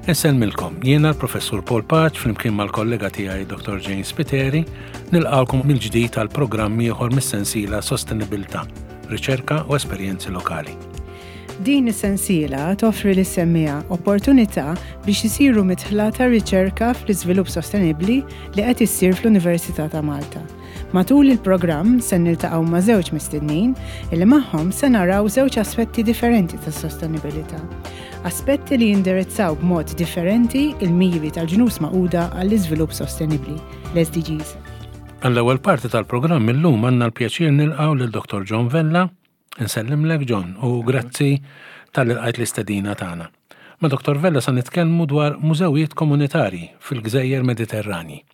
Insellmilkom, jiena l-Professur Paul Paċ flimkien mal-kollega tiegħi Dr. Jane Spiteri, nilqgħukom mill-ġdid għal programm ieħor mis-sensiela Sostenibilità, Riċerka u Esperjenzi Lokali. Din is-sensiela toffri lis-semmiegħa opportunità biex isiru midħla tar-riċerka fl-iżvilupp sostenibbli li qed issir fl-Università ta' Malta. Matul il-programm se niltaqgħu ma' żewġ mistednin illi magħhom se naraw żewġ aspetti differenti tas-sostenibilità. Aspetti li jindirizzaw b'mod differenti il-miri tal-Ġnus Magħquda għall-Iżvilupp Sostenibbli, l-SDGs. Għall-ewwel parti tal-programm illum għandna l-pjaċir nilqgħu lil Dr. John Vella. Insellimlek John u grazzi talli lqajt l-istedina tagħna. Ma' Dr. Vella sa nitkellmu dwar mużewijiet komunitarji fil-gżejjer Mediterranji.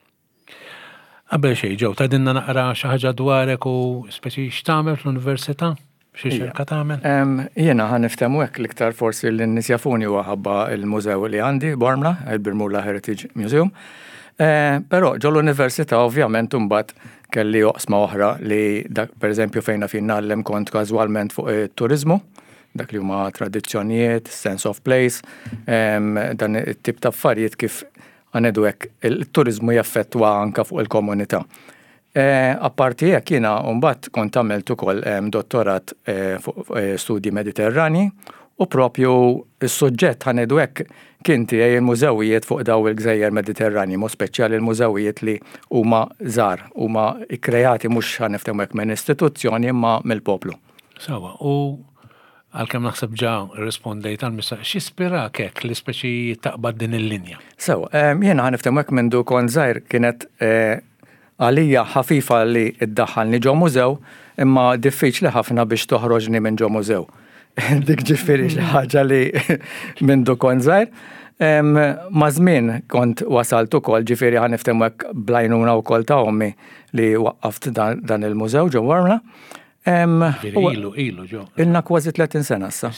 Qabel xejn ġew tgħidilna naqra xi ħaġa dwarek u speċi x'tagħmel fl-università? Xi riċerka tagħmel? Jiena ħa niftehmu hekk l-iktar forsi li n-nies jafuni huwa ħabba l-mużew li għandi Bormla, il-Birmula Heritage Museum. Eh, però ġol università ovvjament imbagħad kelli oqsma oħra li dak pereżempju fejn naf jien ngħallem kont każwalment fuq it-turiżmu, dak li huma tradizzjonijiet, sense of place, dan it-tip ta' affarijiet kif għanedu hekk il-turiżmu jaffettwa anka fuq il-komunità. Eh, apparti hekk jiena mbagħad kont għamilt ukoll dottorat eh, fuq eh, studji Mediterrani u propju s-suġġett ħanedu hekk kien tiegħi il-mużewijiet fuq daw il-gżejjer Mediterrani, mod speċjali l-mużewijiet li huma żgħar, huma kkreati mhux ħa niftehmu hekk minn istituzzjoni imma mill-poplu. Sawa, u għalkemm naħseb ġa rrispondejt għal mistoqsija, x'ispirak hekk li speċi taqbad din il-linja? Sew, jiena ħa niftehmu hekk mindu kont żgħir kienet Għalija ħafifa li ddaħħalni ġo mużew, imma diffiċli ħafna biex toħroġni minn ġo mużew. Dik ġifieri xi ħaġa li mindu kont żgħir. Maż-żmien kont wasalt ukoll, ġifieri ħa niftehmu hekk bl-għajnuna wkoll ta' ommi li waqqaft dan il-mużew ġo Bormla. Ġifieri ilu, ilu ġo. Ilna kważi 30 sena issa.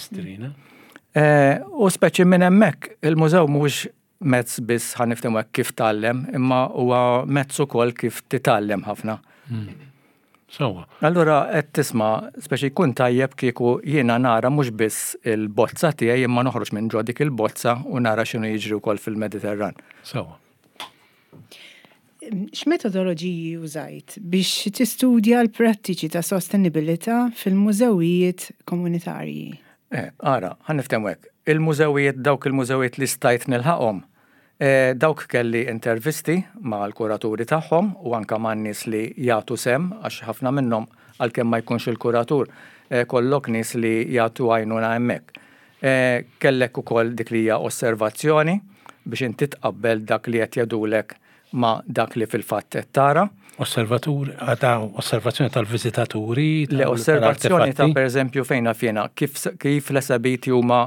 U speċi minn hemmhekk il-mużew mhuwiex mezz biss ħa niftehmu hekk kif tgħallem, imma huwa mezz ukoll kif titgħallem ħafna. Hmm. Sewwa. Allura qed tisma' speċi jkun tajjeb kieku jiena nara mhux biss il-bozza tiegħi imma noħroġ minn ġo dik il-bozza u nara x'inhu jiġri wkoll fil-Mediterran. Sewwa. X'metodoloġiji użajt biex tistudja l-prattiċi ta' sostenibilità fil-mużewijiet komunitarji? Eh, ara, ħa niftehmu hekk. Il-mużewijiet, dawk il-mużewijiet li stajt nilħaqhom, eh, dawk kelli intervisti mal-kuraturi tagħhom u anke man-nies li jagħtu sehem għax ħafna minnhom għalkemm ma jkunx il-kuratur, eh, kollok nies li jagħtu għajnuna hemmhekk. Kellek ukoll dik li hija osservazzjoni biex inti tqabbel dak li qed jgħidulek ma' dak li fil-fatt qed tara. Osservatur, ta' osservazzjoni tal-viżitaturi? Le, osservazzjoni ta' pereżempju fejn naf jiena kif kif l-esebiti huma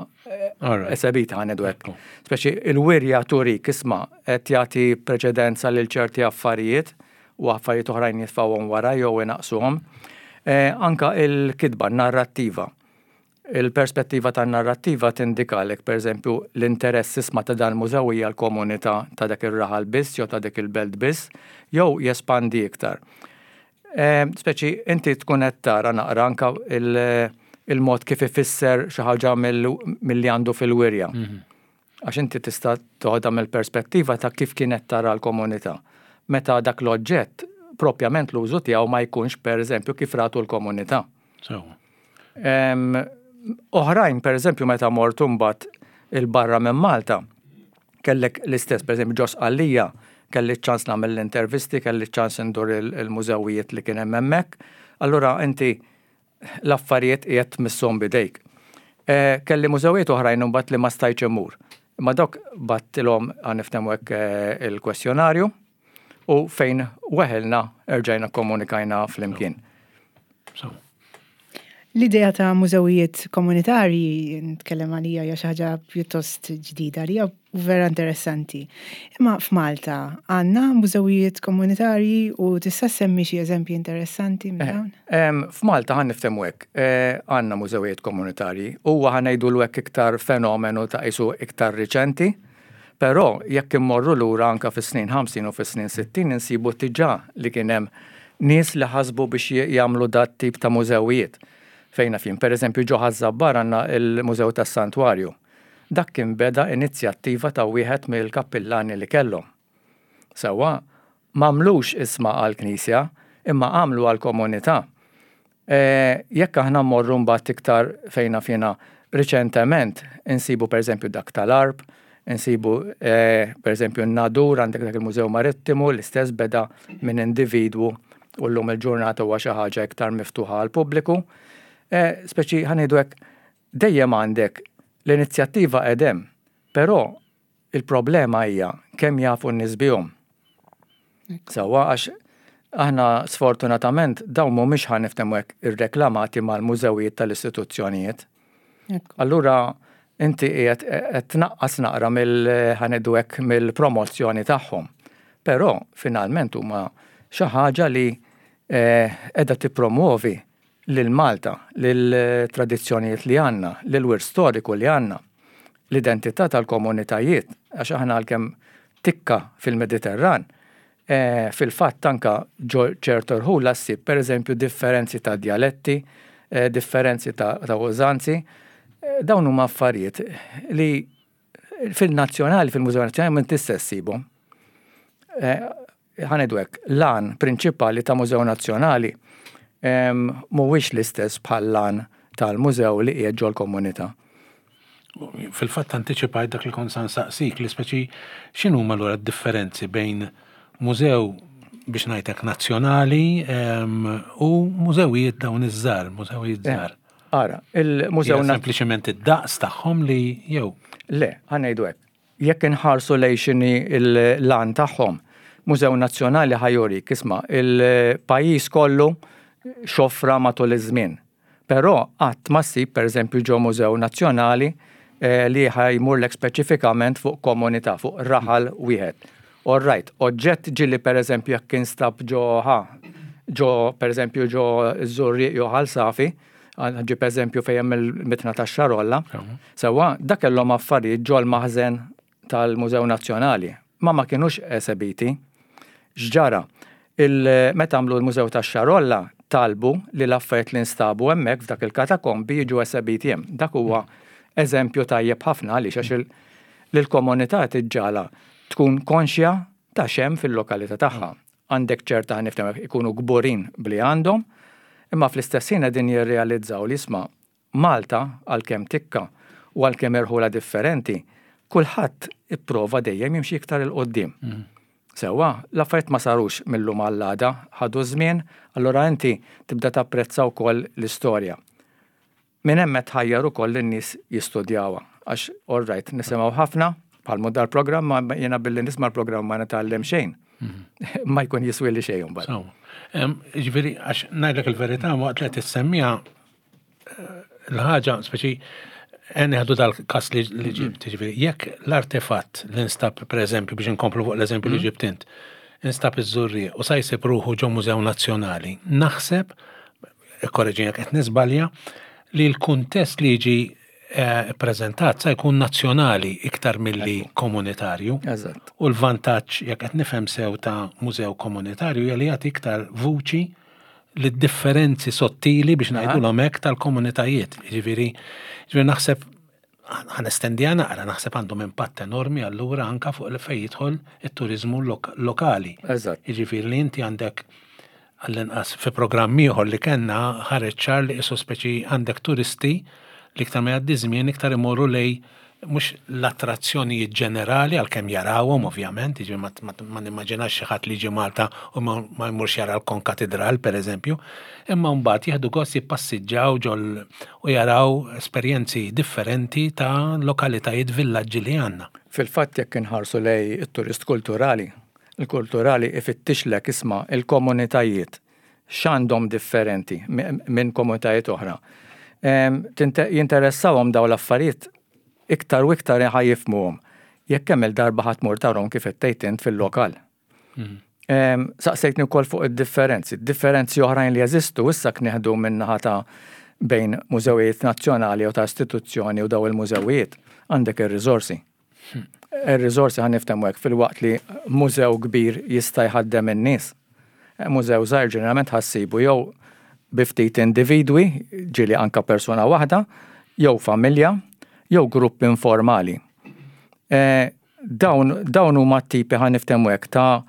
esebiti ħa ngħidu hekk. Speċi il-wirja turik isma' qed jagħti preċedenza lil ċerti affarijiet u affarijiet oħrajn jitfgħuhom wara jew inaqqsuhom. Anka il-kitba, n-narrattiva. Il-perspettiva tan-narrattiva tindikalek, pereżempju, l-interess isma' ta' dan il-mużew hija l-komunità ta' dak ir-raħal biss jew ta' dik il-belt biss, jew jespandi iktar. Speċi inti tkun qed tara naqra anke il-mod kif ifisser xi ħaġa milli għandu fil-wirja. Għax inti tista' toħodha mill-perspettiva ta' kif kienet tara l-komunità. Meta dak l-oġġett propjament l-użu tiegħu ma jkunx pereżempju kif ratu l-komunità. Sewwa. Oħrajn, pereżempju, meta mort imbagħad 'il barra minn Malta, kellek l-istess, pereżempju ġo Sqallija, kelli ċ-ċans nagħmel l-intervisti, kelli ċ-ċans indur il-mużewijiet li kien hemm hemmhekk. Allura inti l-affarijiet qiegħed tmisshom b'idejk. Eh, kelli mużewijiet oħrajn imbagħad li ma stajtx immur. Imma dawk battilhom ħa niftehmu hekk eh, il-kwestjonarju u fejn weħilna erġajna komunikajna flimkien. L-idea ta' mużewijiet komunitarji, nitkellem għalija hija xi ħaġa pjuttost ġdida għalija u vera interessanti. Imma f'Malta għandna mużewijiet komunitarji u tista' semmi xi eżempji interessanti minn eh, dawn? F'Malta ħa niftehmu hekk, eh, għandna mużewijiet komunitarji. Huwa ħa ngħidulu hekk iktar fenomenu ta' qisu iktar riċenti. Però jekk immorru lura anke fis-snin 50 u fis-snin 60 insibu diġà li kien hemm nies li ħasbu biex jagħmlu dat-tip ta' mużewijiet. Fejn naf jien, pereżempju ġo Ħaż-Żabbar għandna l-Mużew tas-Santwarju. Dak kien beda inizjattiva ta' wieħed mill-kappillani li kellhom. Sewwa, m'għamlux isma' għall-knisja, imma għamlu għall-komunità. Jekk aħna mmorru mbagħad iktar fejn naf jiena riċentement insibu pereżempju dak tal-Għarb, insibu pereżempju n-Nadur għandek dak il-Mużew Marittimu l-istess beda minn individwu u llum il-ġurnata huwa xi ħaġa iktar miftuħa għall-pubbliku. Speċi ħa ngħidu hekk dejjem għandek l-inizjattiva qed hemm, però Il-problema hija kemm jafu n-nies bihom. Sewwa għax aħna sfortunatament dawn mhumiex ħa niftehmu hekk irreklamati mal-mużewijiet tal-istituzzjonijiet. Allura inti qiegħed qed tnaqqas naqra mill ħa ngħidu hekk mill-promozzjoni tagħhom. Però finalment huma xi ħaġa li eh, qiegħda tippromwovi lil Malta, lill-tradizzjonijiet li għandna, lill-wirt storiku li għandna, l-identità tal-komunitajiet, għax aħna għalkemm tikka fil-Mediterran, fil-fatt anke ġo ċertu rħula ssib pereżempju differenzi ta' djaletti, differenzi ta' użanzi, dawn huma affarijiet li fil-nazzjonali, fil-Mużew Nazzjonali m'intix se ssibhom. Ħa ngħidu hekk, l-għan prinċipali ta' mużew nazzjonali mhuwiex l-istess bħall-għan tal-mużew li qiegħed ġol-komunità. Fil-fatt antiċipajt dak li kont sa nsaqsik li speċi x'inhuma allura d-differenzi bejn mużew biex ngħid hekk nazzjonali u mużewijiet dawn iż-żgħar, mużewijiet eh, żgħar. Ara, il-mużew sempliċement id-daqs tagħhom li jew. Le, ħa ngħidu hekk. Jekk inħarsu lejn x'inhi l-għan tagħhom, Mużew Nazzjonali ħa jurik, isma' il-pajjiż kollu x'offra matul iż-żmien. Però qatt ma ssib pereżempju ġo Mużew Nazzjonali li ħa jmurlek speċifikament fuq komunità, fuq raħal wieħed. All right, oġġett ġieli pereżempju jekk instab ġo ħa, ġo pereżempju ġo ż-Żurrieq jew Ħal Safi, Ġib eżempju fejn hemm il-mitna tax-Xarolla. Sewwa, dak kellhom affarijiet ġol-maħżen tal-Mużew Nazzjonali, ma ma kinux esebiti. X'ġara? Meta għamlu l-Mużew tax-Xarolla, talbu li l-affarijiet li nstabu hemmhekk f'dak il-katakombi jiġu esebiti hemm. Dak huwa eżempju tajjeb ħafna għaliex għax lill-komunità tiġġagħalha tkun konxja ta' x'hemm fil-lokalità tagħha. Għandek ċerta ħa niftehmu hekk, ikunu kburin b'li għandhom, imma fl-istess ħin qegħdin jirrealizzaw li isma' Malta għalkemm tikka u għalkemm irħula differenti, kulħadd ipprova dejjem jimxi iktar 'il quddiem. Sewwa, l-affarijiet ma sarux mil-lum għall-għada, ħadu ż-żmien, allura inti tibda tapprezza wkoll l-istorja. Minn hemm qed tħajjar ukoll lin-nies jistudjawha. Għax all right, nisimgħu ħafna, bħal mhu dal-programm, ma jiena billi nisma' l-programm ma nitgħallem xejn. Mhm. Ma jkun jiswili xejn imbagħad. Ġifieri għax ngħidlek il-verità waqt li qed tissemmiha eh, l-ħaġa speċi Neħdu dal-kas li mhm. ġibt, ġifieri, jekk l-artefatt li nstab, per eżempju, biex inkomplu fuq l-eżempju li mhm. ġibt int, instab iż-żurri u sa jsib ruħu ġo Mużew Nazzjonali, naħseb ikkoreġini jekk qed niżbalja, li l-kuntest li jiġi eh, ppreżentat sa jkun nazzjonali iktar milli komunitarju. Eżatt. U l-vantaġġ jekk qed nifhem sew ta' mużew komunitarju hija li jagħti iktar vuċi lid-differenzi sottili biex ngħidulhom hekk tal-komunitajiet. Jiġifieri, jiġifieri naħseb ħa nestendiha naqra, naħseb għandhom impatt enormi allura anka fuq li fejn jidħol it-turiżmu lokali. Eżatt. Jiġifieri li inti għandek għall-inqas fi programm ieħor li kellna ħareġ ċar li qisu speċi għandek turisti li iktar ma jgħaddi żmien iktar imorru lej mhux l-attrazzjonijiet ġenerali għalkemm jarawhom ovvjament, jiġifieri ma nimmaġinax xi ħadd li jiġi Malta u ma jmurx jara l-Konkatidral pereżempju, imma mbagħad jieħdu gost jippassiġġaw ġol u jaraw esperjenzi differenti ta' lokalitajiet villaġġi li għandna. Fil-fatt jekk inħarsu lejn it-turist kulturali, il-kulturali ifittixlek isma' il-komunitajiet x'għandhom differenti minn komunitajiet oħra. Jinteressawhom dawn l-affarijiet iktar u iktar ħa jifhmuhom jekk kemm-il darba ħa tmur tarhom kif qed tgħid int fil-lokal. Saqsejtni wkoll fuq id-differenzi. Differenzi oħrajn li jeżistu issa knieħdu min-naħa ta' bejn mużewijiet nazzjonali jew ta' istituzzjoni u daw il-mużewijiet, għandek ir-riżorsi. Ir-riżorsi ħa niftehmu hekk filwaqt li mużew kbir jista' jħaddem in-nies. Mużew żgħir ġeneralment ħa ssibu jew bi ftit individwi, ġieli anke persuna waħda, jew familja, jew grupp informali. Eh, dawn, dawn huma tipi ħa niftehmu hekk ta'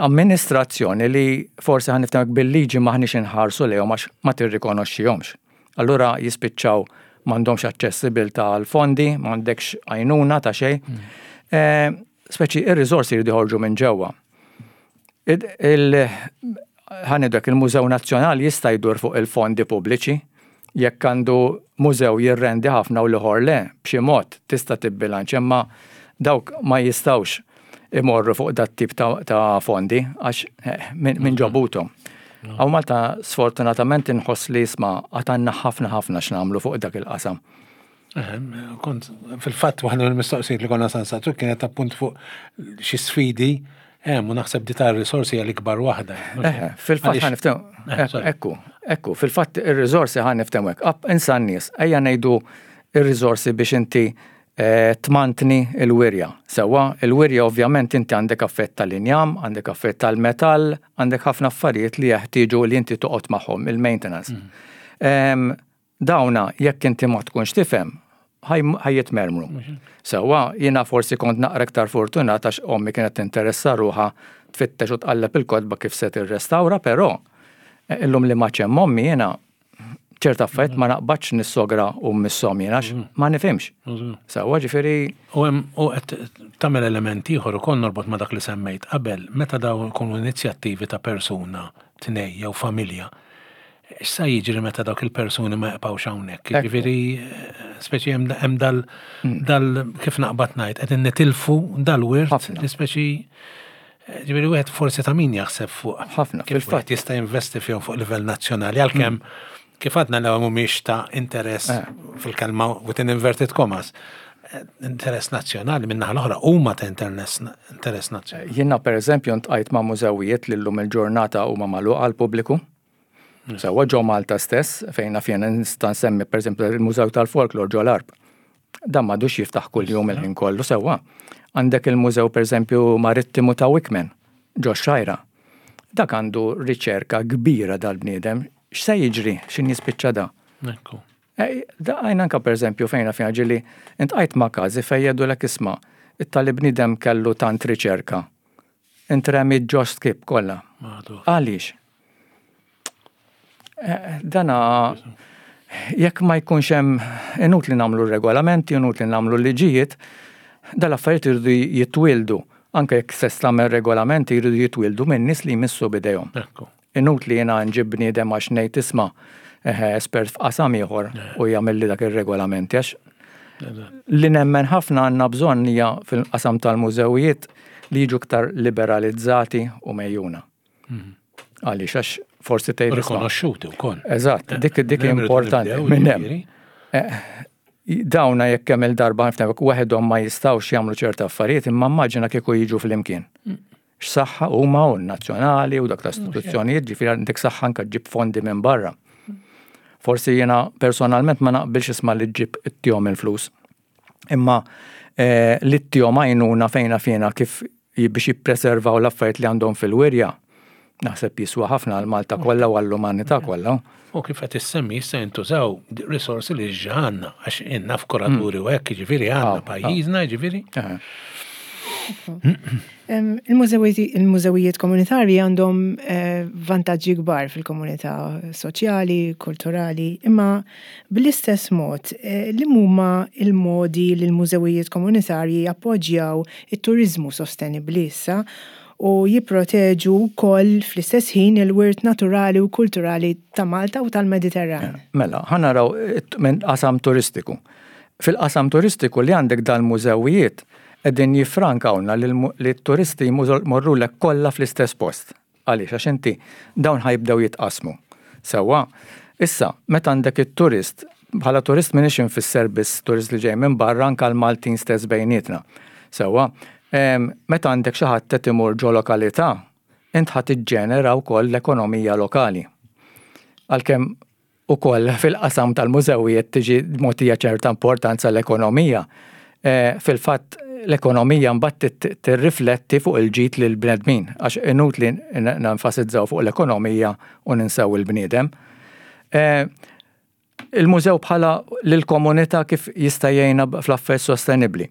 amministrazzjoni li forsi ħa niftehmu hekk bil-liġi m'aħniex inħarsu lejhom għax ma tirrikonoxxihomx. Allura jispiċċaw m'għandhomx aċċessibilità għal fondi, m'għandekx għajnuna ta' xejn. Eh, speċi ir-riżorsi jridu joħorġu minn ġewwa. Ħa ngħidu hekk il-Mużew Nazzjonali jista' jdur fuq il-fondi pubbliċi, jekk għandu mużew jirrendi ħafna u l-ieħor le, b'xi mod tista' tibbilanċja, imma dawk ma jistgħux imorru fuq dat-tip ta' fondi għax eh, minn ġobuthom. Hawn Malta sfortunatament inħoss li isma' għad għandna ħafna ħafna x'nagħmlu fuq dak il-qasam. Kont, fil-fatt, waħda mill-mistoqsijiet li konna sansatu kienet appunt fuq xi sfidi hemm u naħseb di ta' risorsi għal ikbar waħda. Fil-fatt ħa niftehmu. Ekku, ekku, fil-fatt ir-risorsi ħa niftehmu hekk. Insa n-nies, ejja ngħidu ir-risorsi biex inti eh, tmantni il-wirja. Sewwa, il-wirja ovvjament inti għandek affett tal-injam, għandek affett tal-metall, għandek ħafna affarijiet li jeħtieġu li inti toqgħod magħhom, il-maintenance. Mm. Dawna jekk inti ma tkunx tifhem, ħa jitmermru. Sewwa, jiena forsi kont naqra iktar fortunat għax ommi kienet tinteressa ruħha tfittex u tqalleb il-kotba kif se tirrestawra, però eh, illum li ma hemm ommi jiena ċerta affarijiet ma naqbadx nissogra u missom jiena għax mm. ma nifhimx. Sewwa ġifieri. U hemm u qed tagħmel element ieħor ukoll norbot ma' dak li semmejt qabel, meta dawn ikunu inizjattivi ta' persuna, tnej jew familja, X'sa jiġri meta dawk il-persuni ma jibqgħux hawnhekk? Jiġifieri speċi hemm dal hmm. dal kif naqbad ngħid qegħdin nitilfu dal-wirt li speċi ġifieri wieħed forsi ta' min jaħseb fuq. Ħafna. Kif wieħed jista' jinvesti fihom fuq livell nazzjonali għalkemm hmm. kif għadna l mhumiex ta' interess eh. fil-kelma within inverted commas eh, interess nazzjonali minn naħa l-oħra huma ta' interess nazzjonali. Jiena pereżempju ntqajt ma' mużewijiet li llum il-ġurnata huma magħluqa għall-pubbliku. Sewwa ġo Malta stess, fejn naf jiena nista' nsemmi pereżempju il-Mużew tal-Folklor ġo l-Għarb. Dan m'għadux jiftaħ kuljum il-ħin kollu sewwa. Għandek il-Mużew pereżempju Marittimu ta' Wickman ġo x-Xgħajra. Dak għandu riċerka kbira dal-bniedem. X'se jiġri x'in jispiċċa da? Ekku. Għajn anka pereżempju fejn naf jiena ġieli intqajt ma' każi fejn jgħidulek isma' it-tali bniedem kellu tant riċerka. Intremiet ġo skip kollha. Għaliex? Eh, dana jekk ma jkunx hemm inutli nagħmlu regolamenti, inutli nagħmlu liġijiet, dal-affarijiet iridu jitwildu. Anke jekk se tagħmel regolamenti jridu jitwildu minn nies li jmissu bidejhom. Inutli jiena nġib bniedem għax ngħid isma' eh, espert f'qasam ieħor u jagħmel li dak ir-regolamenti għax li nemmen ħafna għandna bżonn hija fil-qasam tal-mużewijiet li jiġu iktar liberalizzati u mejjuna. Mhm. Għaliex għax forsi tgħid. Rikonoxxuti wkoll. Eżatt, dik dik importanti minn hemm. Eh, dawna jekk hemm il-darba ħafna waħedhom ma jistgħux jagħmlu ċerta affarijiet imma immaġina kieku jiġu flimkien. Mm. X'saħħa huma u nazzjonali u dak l-istituzzjonijiet ġifieri għandek saħħa anke ġib fondi minn barra. Forsi jiena personalment ma naqbilx isma' li ġib ittihom il-flus. Imma eh, li ttihom għajnuna fejna fjena kif biex jippreservaw l-affarijiet li għandhom fil-wirja, naħseb jiswa ħafna għal Malta kollha u għall-umanità kollha. U kif qed issemmi jista' jintużaw risorsi li ġa għandna, għax inna f'kuraturi u hekk, jiġifieri għandna pajjiżna, jiġifieri. Il-mużewijiet komunitarji għandhom eh, vantaġġi kbar fil-komunità soċjali, kulturali, imma bl-istess mod eh, li huma il-modi li l-mużewijiet komunitarji jappoġġjaw it-turiżmu sostenibbli issa u jipproteġu wkoll fl-istess ħin il-wirt naturali u kulturali ta' Malta u tal-Mediterran. Mela, ħa naraw minn qasam turistiku. Fil-qasam turistiku li għandek dal-mużewijiet qegħdin jiffrankawlna li t-turisti jmorrulek kollha fl-istess post. Għaliex? Għax inti dawn ħa jibdew jitqassmu. Sewwa? Issa, meta għandek it-turist, bħala turist m'iniex infisser biss turist li ġej minn barra anke l-Maltin stess bejnietna. Sewwa? Meta għandek xi ħadd qed imur ġo lokalità, int ħa tiġġenera wkoll l-ekonomija lokali. Għalkemm ukoll fil-qasam tal-mużewijiet tiġi mogħtija ċerta importanza l-ekonomija. Eh, fil-fatt l-ekonomija mbagħad tirrifletti fuq il-ġid lil bnedmin għax inutli nenfasizzaw fuq l-ekonomija u ninsew il-bniedem. Eh, Il-mużew bħala lill-komunità kif jista' jgħinha fl-affarijiet sostenibbli.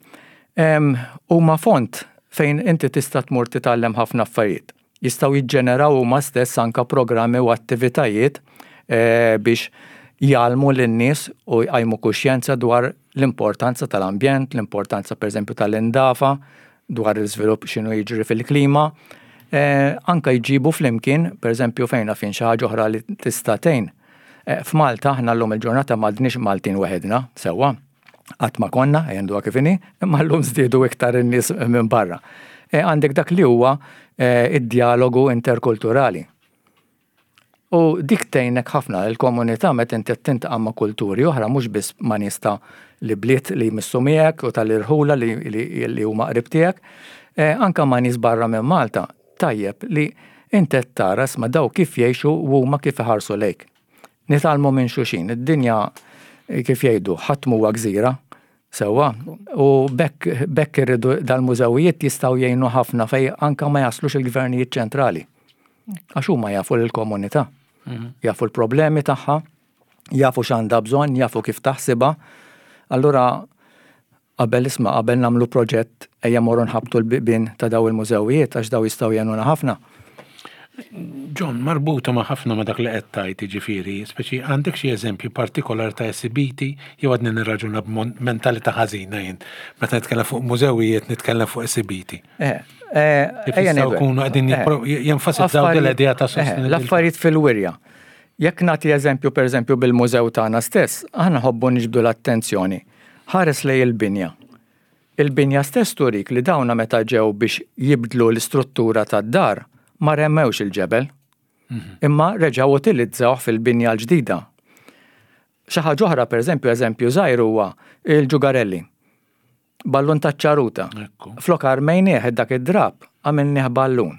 Huma font fejn inti tista' tmur titgħallem ħafna affarijiet. Jistgħu jiġġeneraw huma stess anke programmi u attivitajiet biex jgħallmu lin-nies u jqajmu kuxjenza dwar l-importanza tal-ambjent, l-importanza pereżempju tal-indafa, dwar l-iżvilupp x'inhu jiġri fil-klima. Anke jġibu flimkien, pereżempju fejn naf jien xi ħaġa oħra li tista' tgħin. F'Malta aħna llum il-ġurnata m'għadniex Maltin weħidna, sewwa. Qatt ma konna, ejja ngħiduha kif inhi, imma llum żdiedu iktar in-nies minn barra. Għandek dak li huwa id-djalogu interkulturali. U dik tgħinek ħafna il-komunità meta inti qed tintaqa' ma' kulturi oħra mhux biss ma' nies ta' l-ibliet li jmissu miegħek u tal-irħula li huma qrib tiegħek, anke ma' nies barra minn Malta, tajjeb li inti qed tara isma' daw kif jgħixu u huma kif iħarsu lejk. Nitgħallmu minn xulxin, id-dinja kif jgħidu ħadd m'huwa gżira, sewwa, u b'hekk b'hekk irridu dal-mużewijiet jistgħu jgħinu ħafna fejn anke ma jaslux il-gvernijiet ċentrali. Għax huma jafu lill-komunità, jafu l-problemi tagħha, jafu x'għandha bżonn, jafu kif taħsibha. Allura qabel isma' qabel nagħmlu proġett ejja morru nħabbtu l-bibien ta' daw il-mużewijiet għax daw jistgħu jgħinuna ħafna. John, marbuta ma' ħafna ma' dak li qed tgħid, jiġifieri, speċi għandek xi eżempju partikolari ta' esibiti jew għadni nirraġuna b'mentalità ħażina jien meta nitkellem fuq mużewijiet nitkellem fuq esibiti. Eh, eh, Kif jistgħu jkunu qegħdin eh, jenfasizzaw l-idea ta' sostenibilità. L-affarijiet fil-wirja. Jekk nagħti eżempju pereżempju bil-mużew tagħna stess, aħna ħobbu niġbdu l-attenzjoni. Ħares lej il-binja. Il-binja stess turik li dawna meta ġew biex jibdlu l-istruttura tad-dar ma remmewx il-ġebel. Mhm. Imma reġgħu utilizzawh fil-binja l-ġdida. Xi ħaġa oħra pereżempju eżempju żgħir huwa il-ġugarelli. Ballun taċ-ċaruta. Flok armejnieh dak id-drapp, għamilnieh ballun.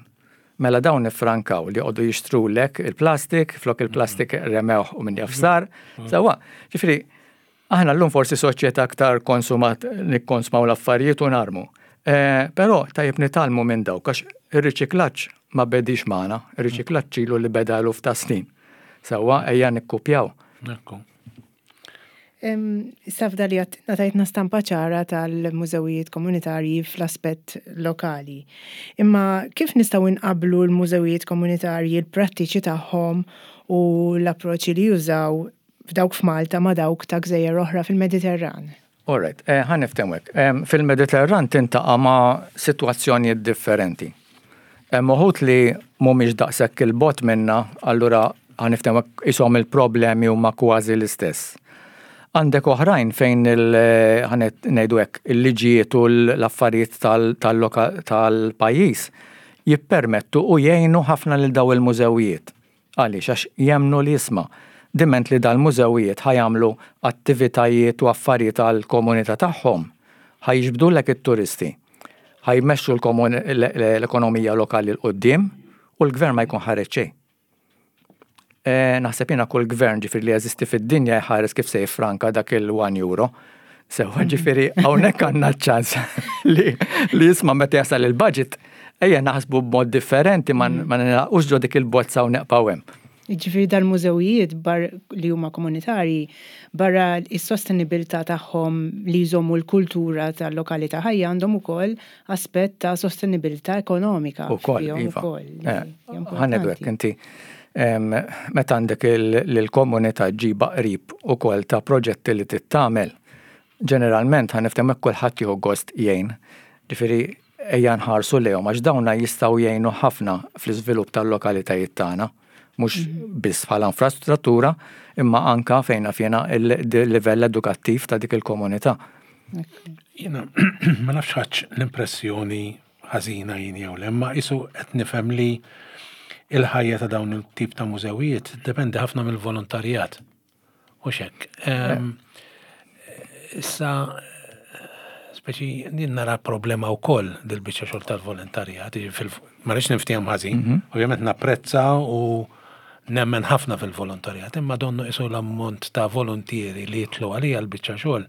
Mela dawn iffrankaw li joqogħdu jixtrulek il-plastik, flok il-plastik remewh u min jaf sar. Sewwa, ġifieri aħna llum forsi soċjetà aktar konsumat nikkonsmaw l-affarijiet u narmu. Eh, però tajjeb nitgħallmu minn dawk għax ir-riċiklaġġ ma bedix magħna, ir-riċiklaġġ ilu li beda eluf ta' snin. Sewwa ejja nikkupjaw. Ekku. Issa f'dal li għattina tajtna stampa ċara tal-mużewijiet komunitarji fl-aspett lokali. Imma kif nistgħu nqabblu l-mużewijiet komunitarji, l-prattiċi tagħhom u l-approċċi li jużaw f'dawk f'Malta ma' dawk ta' gżejjer oħra fil-Mediterran? All right, eh, ħa niftehmu hekk. Fil-Mediterran tintaqa' ma' sitwazzjonijiet differenti. Hemm uħud li mhumiex daqshekk il-bogħod minna, allura ħa niftehmu hekk qishom il-problemi huma kważi l-istess. Għandek oħrajn fejn ħa ngħidu hekk, il-liġijiet u l-affarijiet tal-pajjiż jippermettu u jgħinu ħafna lil daw il-mużewijiet. Għaliex? Għax jemmnu li isma', diment li dal-mużewijiet ħa jagħmlu attivitajiet u affarijiet għall-komunità tagħhom, ħa jiġbdulek it-turisti, ħa jmexxu l-ekonomija lokali 'l quddiem u l-gvern ma jkun ħareġ xejn. Naħseb jiena kull gvern ġifieri li jeżisti fid-dinja jħares kif se jiffranka dak il-one euro. Sewwa ġifieri hawnhekk għandna ċ-ċans li li isma' meta jasal il-budget ejja naħsbu b'mod differenti ma mm. nilaqux ġo dik il-bozza u neqpaw hemm. Ġifieri dal-mużewijiet bar li huma komunitarji barra is-sostenibilità tagħhom li jżommu l-kultura tal-lokalità ħajja għandhom ukoll aspett ta' sostenibilità ekonomika. Ukoll, iva. Eh, ħanedu hekk inti meta għandek l-komunità ġiba qrib ukoll ta' proġetti li tittamel, ġeneralment ħa niftehmu hekk kulħadd jieħu gost jgħin. Ġifieri ejja nħarsu lejhom għax dawna jistgħu jgħinu ħafna fl-iżvilupp tal-lokalitajiet tagħna, mhux mhm. biss bħala infrastruttura, imma anka fejn naf jiena il-livell edukattiv ta' dik il-komunità. Jiena ma nafx ħadd l-impressjoni ħażina jien jew le, imma isu qed nifhem li il-ħajja ta' dawn il-tip ta' mużewijiet dependi ħafna mill-volontarjat. U xek. Ehm, issa, speċi, jien nara problema wkoll dil-biċċa xogħol tal-volontarjat, ma rridx niftehom ħażin, mhm. ovvjament napprezza u nemmen ħafna fil-volontarjat, imma donnu isu l-ammont ta' volontieri li jitlu għalija l-biċċa xogħol.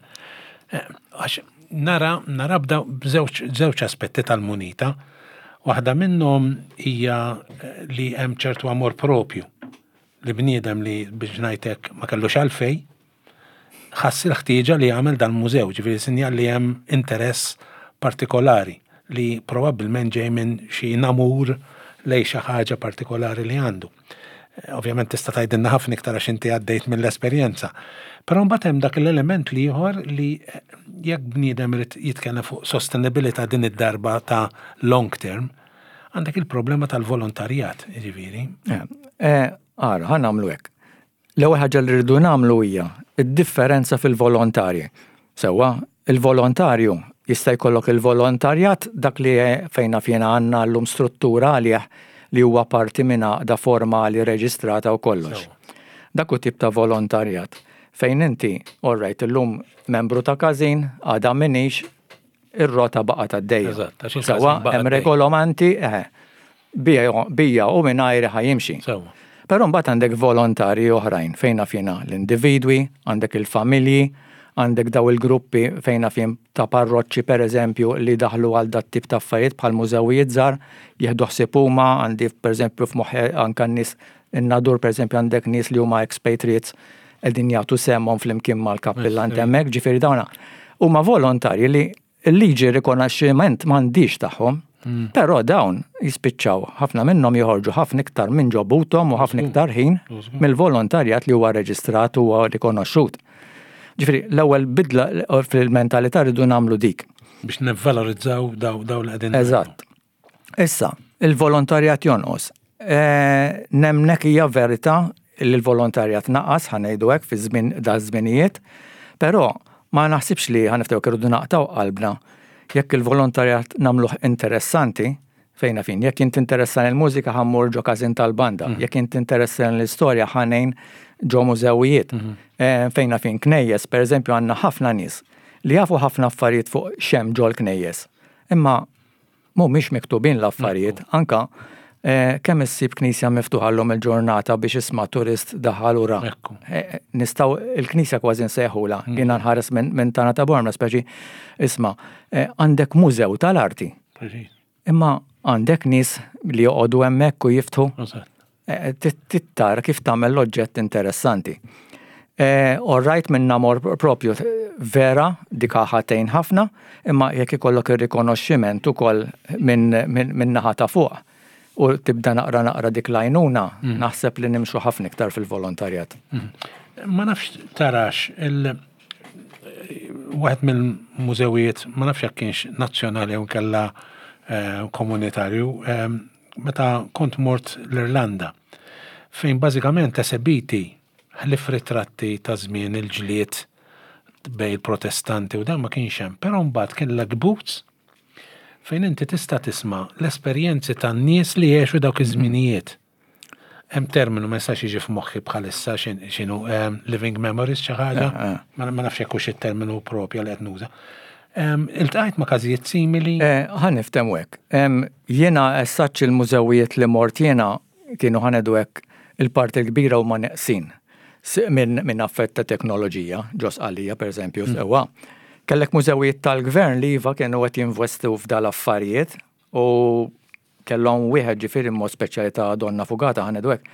Eh, għax nara nara bda b'żewġ aspetti tal-munita. Waħda minnhom hija eh, li hemm ċertu amor propju li bniedem li biex ngħid hekk ma kellux għalfejn. ħass il-ħtieġa li jagħmel dal-mużew, ġifieri sinjal li hemm interess partikolari li probabbilment ġej minn xi namur lejn xi ħaġa partikolari li għandu. Ovvjament tista' tgħidilna ħafna iktar għax inti għaddejt mill-esperjenza. Però mbagħad hemm dak l-element l-ieħor li jekk bniedem irid jitkellem fuq sostenibilità din id-darba ta' long term, għandek il-problema tal-volontarjat, jiġifieri. Eh, ara, ħa nagħmlu hekk. L-ewwel ħaġa li rridu nagħmlu hija d-differenza fil-volontarji. Sewwa, il-volontarju jista' jkollok il-volontarjat dak li fejn naf jiena għandna llum struttura għalih li huwa parti minn għaqda formali reġistrata u kollox. Dak hu tip ta' volontarjat fejn inti, all right, illum membru ta' każin, għada m'iniex, ir-rota baqgħet għaddejja. Eżatt, għax il-każin Sewwa, baqa' hemm għaddej. regolomanti, eħe, bija u mingħajri ħa jimxi. Sewwa. Però mbagħad għandek volontarji oħrajn fejn naf jiena l-individwi, għandek il-familji, għandek daw il-gruppi fejn naf jien ta' parroċċi pereżempju li daħlu għal dat tip ta' affarijiet bħal mużewijiet żgħar, jieħdu ħsieb huma, għandi pereżempju f'moħħi anke n-nies in-Nadur pereżempju għandek nies li huma expatriates qegħdin jagħtu sehemhom flimkien mal-kappillant hemmhekk, ġifieri dawna huma volontarji li l-liġi rikonoxximent m'għandhiex tagħhom. Hmm. Però dawn jispiċċaw ħafna minnhom joħorġu ħafna iktar minn ġobuthom u ħafna iktar ħin mill-volontarjat li huwa reġistrat u huwa rikonoxxut. Ġifieri l-ewwel bidla fil-mentalità rridu nagħmlu dik. Biex nivvalorizzaw daw daw li qegħdin. Eżatt. Issa, il-volontarjat jonqos. E, nemnek hija verità li l-volontarjat naqas, ħa ngħidu hekk fi żmien da żminijiet, però ma naħsibx li ħa niftew irridu naqtaw qalbna. Jekk il-volontarjat nagħmluh interessanti, fejna fin, jekk int interessan il-mużika ħa mmur ġo każin tal-banda, mm. jekk int interessan l-istorja ħa ngħin ġo mużewijiet, mm -hmm. e, fejna fin knejjes, per eżempju għandna ħafna nies li jafu ħafna affarijiet fuq xem ġol knejjes. Imma Mhumiex miktubin l-affarijiet, anka eh, kemm issib knisja miftuħa llum il-ġurnata biex isma' turist daħal u ra. Eh, nistgħu il-knisja kważi nsejħula, mm. jiena nħares minn tana ta' Bormla speċi isma' eh, għandek mużew tal-arti. Imma għandek nies li joqogħdu hemmhekk u jiftħu. Trid tara kif tagħmel l-oġġett interessanti. All right minn namor propju vera dik ħatejn ħafna, imma jekk ikollok ir-rikonoxximent ukoll minn naħa ta' fuq u tibda naqra naqra dik l-għajnuna, mm. naħseb li nimxu ħafna iktar fil-volontarjat. Mm. Ma nafx tarax il waħed mill-mużewijiet, ma nafx jekk kienx nazzjonali u kella eh, komunitarju, eh, meta kont mort l-Irlanda, fejn bażikament esebiti ħlief ritratti ta' żmien il-ġlied bejn il-Protestanti u dan ma kienx hemm, però mbagħad kellek booths fejn inti tista' tisma' l-esperjenzi tan-nies li għexu dawk iż-żminijiet. Hemm terminu ma jistax jiġi f'moħħi bħalissa x'inhu living memories xi ħaġa, eh, eh. ma nafx jekk hux it-terminu propja li qed nuża. Iltqajt ma' każijiet simili? Eh, ħa niftehmu hekk. Jiena essaċ il-mużewijiet li mort jiena kienu ħa ngħidu hekk il-parti l-kbira huma neqsin minn affett ta' teknoloġija, ġo Sqallija pereżempju, mm. sewwa. Kellek mużewijiet tal-gvern li iva kienu qed jinvestu f'dal affarijiet u kellhom wieħed ġifieri mod speċjali ta' Donna Fugata ħa ngħidu hekk,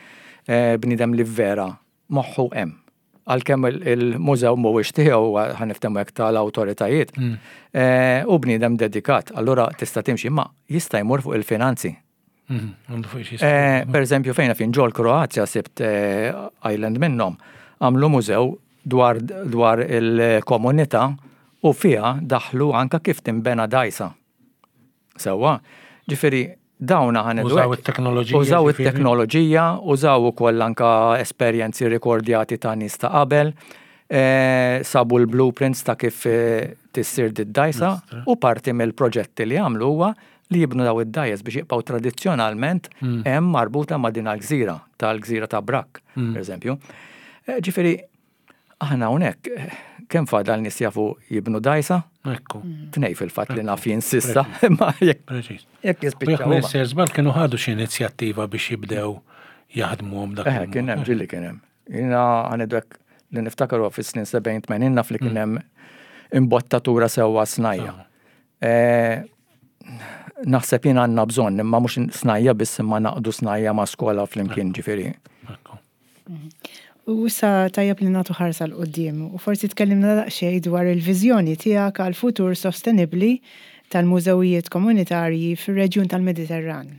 eh, bniedem li vera moħħu hemm. Għalkemm il-mużew mhuwiex tiegħu ħa niftehmu hekk tal-awtoritajiet. Mm. Eh, u bniedem dedikat, allura tista' timxi ma jista' jmur fuq il-finanzi. Mm, eh, per eżempju, fejna fin ġol Kroazja sibt island minnhom għamlu mużew dwar, dwar il-komunità u fiha daħlu anka kif timbena dajsa. Sewwa, ġifieri dawn ħa ngħidu. Użaw it-teknoloġija. Użaw it-teknoloġija, użaw ukoll anka esperjenzi rikordjati ta' nies ta' qabel, eh, sabu l-blueprints ta' kif eh, tissir d-dajsa u parti mill-proġetti li għamlu huwa li jibnu daw id-dajjes biex jibqgħu tradizzjonalment hmm. hemm marbuta ma' din gżira tal-gżira ta' Brak, hmm. per eżempju. Eh, ġifieri, aħna hawnhekk kemm fadal nies jafu jibnu dajsa? Ekku. Tnej fil-fatt li naf jinsista, imma jekk jekk jispiċċaw. Jekk żball kienu ħadu xi inizjattiva biex jibdew jaħdmuhom dak. Eh, kien hemm ġilli kien hemm. Jiena ħa ngħidu hekk li niftakaru fis-snin 70-80 naf li kien mm. hemm imbottatura sewwa snajja. Eh, naħseb jien għandna bżonn, imma mhux snajja biss imma naqdu snajja ma' skola flimkien ġifieri. U issa tajjeb li nagħtu ħarsa 'l quddiem u forsi tkellimna daqsxejn dwar il-viżjoni tiegħek għal futur sostenibbli tal-mużewijiet komunitarji fir-reġjun tal-Mediterran.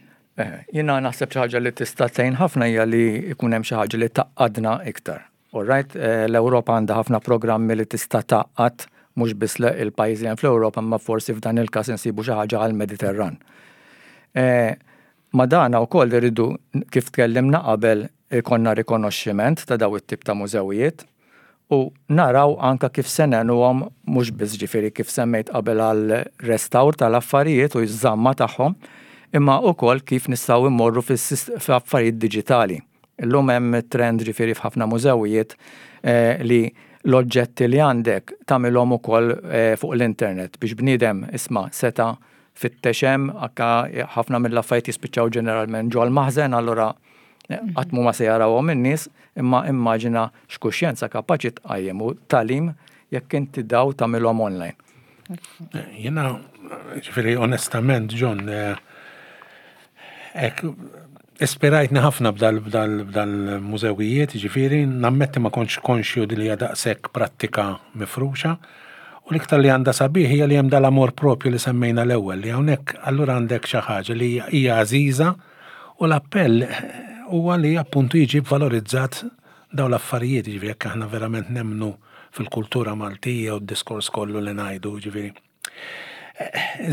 Jiena naħseb xi ħaġa li tista' tgħin ħafna hija li jkun hemm xi ħaġa li tgħaqqadna iktar. All right, l-Ewropa għandha ħafna programmi li tista' tgħaqqad mhux biss il-pajjiżi li hemm fl-Ewropa imma forsi f'dan il-każ insibu xi ħaġa għall-Mediterran. Ma' dana wkoll irridu, kif tkellimna qabel, ikollna rikonoxximent ta' daw it-tip ta' mużewijiet u naraw anke kif se ngħinuhom mhux biss ġifieri kif semmejt qabel għal restawr tal-affarijiet u ż-żamma tagħhom, imma wkoll kif nistgħu mmorru f'affarijiet diġitali. Illum hemm trend ġifieri f'ħafna mużewijiet li l-oġġetti li għandek tagħmilhom ukoll fuq l-internet biex bniedem isma' seta' fittex hemm, anke ħafna mill-affarijiet jispiċċaw ġeneralment ġol-maħżen allura qatt mhuma se jarawhom in-nies, imma immaġina x'kuxjenza kapaċi tqajjem u tagħlim jekk inti daw tagħmilhom online. Jiena, ġifieri onestament, John, hekk ispirajtni ħafna b'dal-mużewijiet, ġifieri, nammetti ma kontx konxju li hija daqshekk prattika mifruxa. U l-iktar li għandha sabiħ hija li hemm dal-amor propju li semmejna l-ewwel, li hawnhekk allura għandek xi ħaġa li hija għażiża u l-appell huwa li appuntu jiġi valorizzat dawn l-affarijiet, jiġifieri jekk aħna verament nemmnu fil-kultura Maltija u d-diskors kollu li ngħidu, jiġifieri.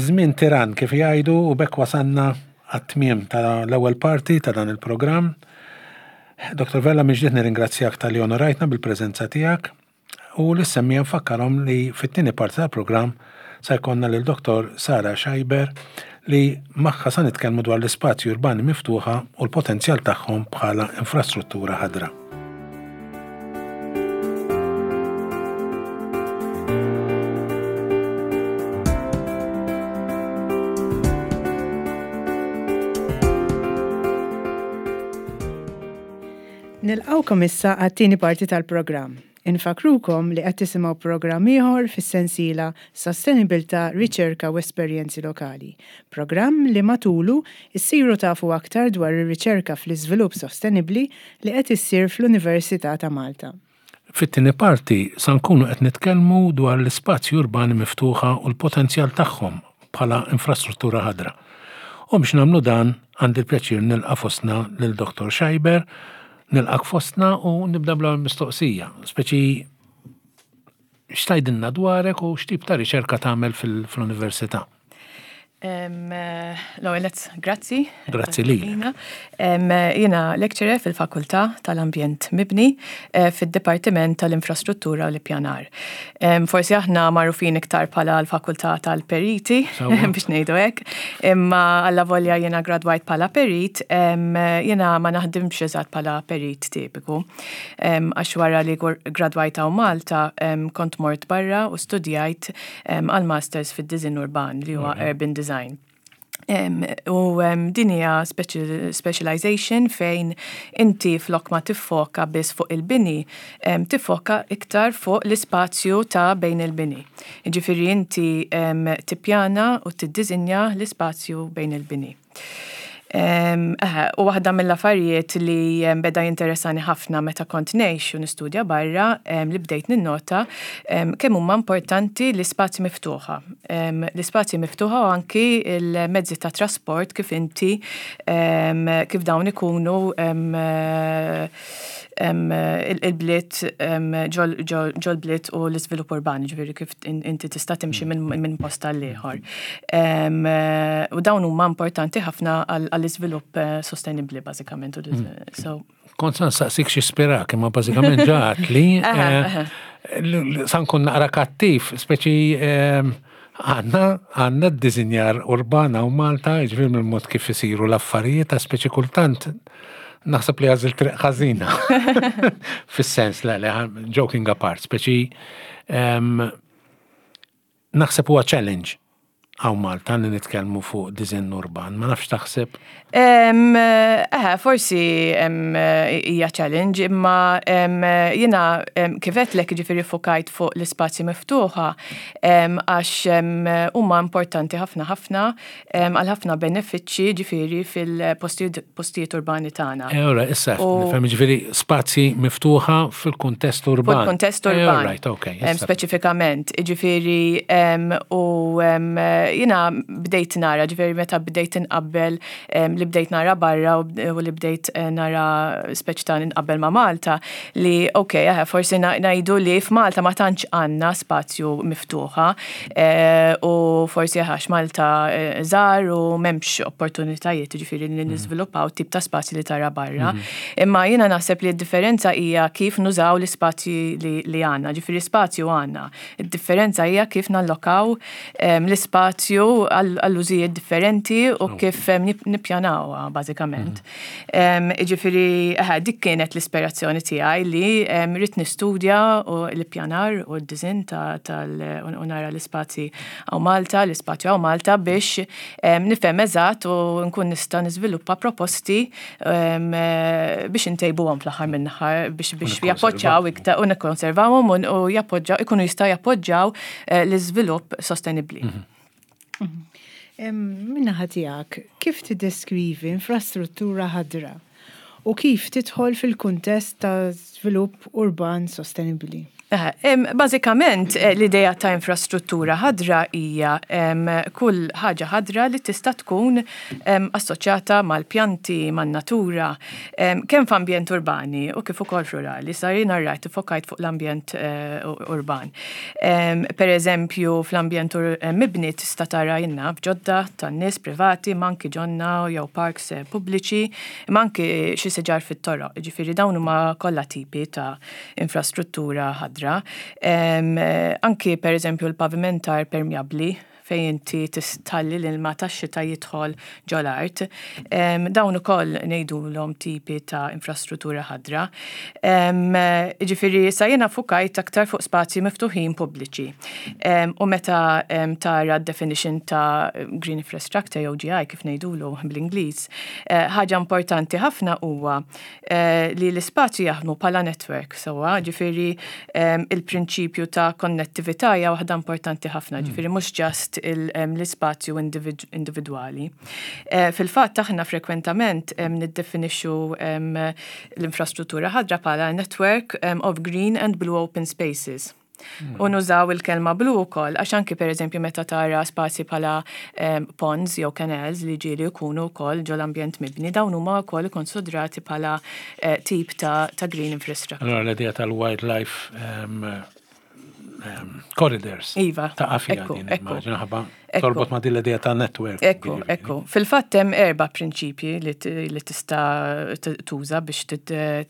Żmien tirann kif jgħidu u b'hekk wasalna għat-tmiem tal-ewwel parti ta' dan il-programm. Dr. Vella mill-ġdid nirringrazzjak talli onorajtna bil-preżenza tiegħek u lis-semmiegħa nfakkarhom li fit-tieni parti tal-programm sa jkollna lil Dr. Sara Scheiber li magħha sa nitkellmu dwar l-ispazji urbani miftuħa u l-potenzjal tagħhom bħala infrastruttura ħadra. Nilqgħukom issa għat-tieni parti tal-programm. Infakkrukom li qed tisimgħu programm ieħor fis-sensiela Sostenibilità, Riċerka u Esperjenzi Lokali, programm li matulu issiru tafu aktar dwar ir-riċerka fl-iżvilupp sostenibbli li qed issir fl-Università ta' Malta. Fit-tieni parti sa nkunu qed nitkellmu dwar l-ispazji urbani miftuħa u l-potenzjal tagħhom bħala infrastruttura ħadra. U biex nagħmlu dan għandi l-pjaċir nilqa' fostna lil Dottor Scheiber Nilqgħek fostna u nibda bl-ewwel mistoqsija, speċi x'tgħidilna dwarek u x'tip ta' riċerka tagħmel fl-università? L-ewwel nett, grazzi. Grazzi lilek. Jiena lecturer fil-Fakultà tal-Ambjent Mibni eh, fid-Dipartiment tal-Infrastruttura u l-Ippjanar. Forsi aħna magħrufin iktar bħala l-Fakultà tal-Periti biex ngħidu hekk, imma alla volja jiena gradwajt bħala perit, jiena ma naħdimx eżatt bħala perit tipiku. Għax wara li gradwajt hawn Malta kont mort barra u studjajt għal masters fid-diżinn urban li huwa urban design. U din hija specialization fejn inti flok ma tiffoka biss fuq il-bini, tiffoka iktar fuq l-ispazju ta' bejn il-bini. Jiġifieri inti tippjana u tiddiżinja l-ispazju bejn il-bini. U waħda mill-affarijiet li beda jinteressani ħafna meta kont ngħix u nistudja barra li bdejt ninnota kemm huma importanti l-ispazji miftuħa. L-ispazji miftuħa u anki l-mezzi ta' trasport kif inti kif dawn ikunu il-bliet ġol-bliet u l-iżvilupp urban, ġifieri kif inti tista' timxi minn post għal ieħor. U dawn huma importanti ħafna għall-iżvilupp eh, sostenibbli bażikament. Mm. Kont sa nsaqsik xi spirak, imma bażikament ġaħat li eh, sa nkun naqra kattiv, speċi Għandna għandna d-disinjar urban hawn Malta, jiġifieri mill-mod kif isiru l-affarijiet, ta' speċi kultant naħseb li għażilt triq ħażina. Fis-sens, le, le, joking apart, speċi naħseb huwa challenge. Hawn Malta li nitkellmu fuq diżinn urban, ma nafx taħseb? Eħe, forsi hija challenge, imma jiena kif għedtlek jiġifieri ffukajt fuq l-ispazji miftuħa għax huma importanti ħafna ħafna għal ħafna benefiċċji ġifieri fil-postijiet urbani tagħna. Eh, ora, issa nifhem ġifieri spazji miftuħa fil-kuntest urban. Fil-kuntest eh, urban. Right, okay. Speċifikament, ġifieri u jiena bdejt nara, ġifieri meta bdejt inqabbel li bdejt nara barra u li bdejt eh, nara speċi ta' nqabbel ma' Malta li ok, forsi ngħidu li f'Malta ma tantx għandna spazju miftuħa u forsi għax Malta żgħar u m'hemmx opportunitajiet jiġifieri li mhm. niżviluppaw tip ta' spazji li tara barra. Mhm. Imma jiena naħseb li d-differenza hija kif nużaw l-ispazji li għandna, ġifieri spazju għandna. Id-differenza hija kif nallokaw l-ispazju għall-użijiet differenti u kif nippjanawha bażikament. Mhm. Ġifiri, dik kienet l-ispirazzjoni tiegħi li rrid nistudja u l-ippjanar u d-dizin tal u nara l-ispazji għaw Malta, l-ispazju għaw Malta biex nifhem eżatt u nkun nista' niżviluppa proposti biex intejbuhom fl-aħħar minn-aħħar biex biex jappoġġaw iktar u nikkonservawhom u jappoġġaw ikunu jistgħu jappoġġaw eh, l-iżvilupp sostenibbli. Mhm. Min-naħa tiegħek, kif tiddeskrivi infrastruttura ħadra u kif tidħol fil-kuntest ta' żvilupp urban sostenibbli? Bażikament, l-idea ta' infrastruttura ħadra hija kull ħaġa ħadra li tista' tkun assoċjata mal-pjanti, man-natura, kemm f'ambjent urbani u kif ukoll f'rurali. Sa jiena rajt iffokajt fuq l-ambjent urban. Per eżempju, fl-ambjent mibni tista' tara jiena f'ġodda tan-nies privati, imma anki ġonna jew parks pubbliċi, imma anki xi siġar fit-toroq. Jiġifieri dawn huma kollha tipi ta' infrastruttura ħadra. Anki per eżempju l-pavimentar permjabbli fejn inti tħalli l-ilma tax-xita jidħol ġol-art. Dawn ukoll ngħidulhom tipi ta' infrastruttura ħadra. Jiġifieri issa jiena ffukajt aktar fuq spazji miftuħin pubbliċi. U meta tara d-definition ta' green infrastructure jew GI kif ngħidulu bl-Ingliż, eh, ħaġa importanti ħafna huwa li l-ispazju jaħdmu bħala network sewwa, ġifieri il-prinċipju ta' konnettività hija waħda importanti ħafna, hmm. ġifieri mhux ġast l-ispazju individwali. Eh, fil-fatt aħna frekwentament niddefinixxu l-infrastruttura ħadra bħala network of green and blue open spaces. U nużaw il-kelma blu wkoll għax anki pereżempju meta tara spazji bħala ehm, ponds jew canals li ġieli jkunu wkoll ġol-ambjent mibni, dawn huma wkoll ikkonsidrati bħala eh, tip ta', ta green infrastructure. Allora l-idea tal-wildlife ehm, ehm, corridors. Iva. Ta' għafija din, immaġina ħabba Torbot ma' din l-idea ta' network. Ekku, ekku. Fil-fatt hemm erba' prinċipji li tista' tuża biex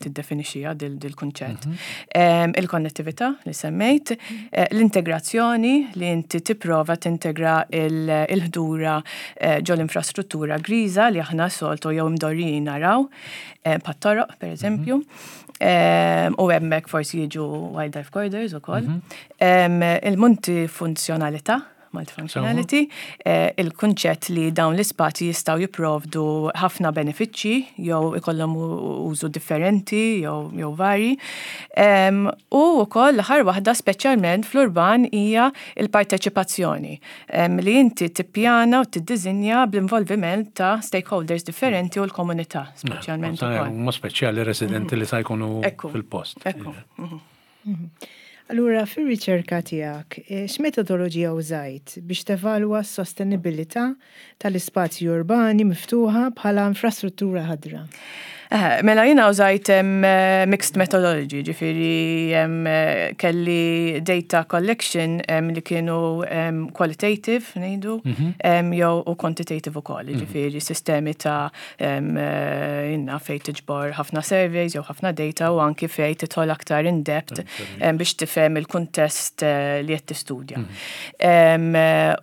tiddefinixxiha dil-kunċett. Mhm. Il-konnettività li semmejt, eh, l-integrazzjoni li inti tipprova tintegra il-ħdura eh, ġol-infrastruttura griża li aħna soltu jew imdorrijin naraw, eh, pat-toroq pereżempju. Mhm. U hemmhekk forsi jiġu wildlife corridors ukoll. Mhm. Il-multifunzjonalità multifunctionality, eh, il-kunċett li dawn l-ispazji jistgħu jipprovdu ħafna benefiċċji jew ikollhom użu differenti jew jew vari. U wkoll l-aħħar waħda speċjalment fl-urban hija il-parteċipazzjoni li inti tippjana u tiddiżinja bl-involviment ta' stakeholders differenti u l-komunità speċjalment. Mod speċjali residenti li sa jkunu fil-post. Ekku. Mhm. Allura, fir-riċerka tiegħek, x'metodoloġija użajt biex tevalwa s-sostenibilità tal-ispazji urbani miftuħa bħala infrastruttura ħadra? Mela jiena użajt mixed methodology, ġifieri kelli data collection li kienu qualitative ngħidu mhm. jew u quantitative ukoll, mhm. ġifieri sistemi ta' Inna fej tiġbor ħafna surveys jew ħafna data u anki fej titħol aktar in depth biex tifhem il-kuntest eh, li qed tistudja. Mhm.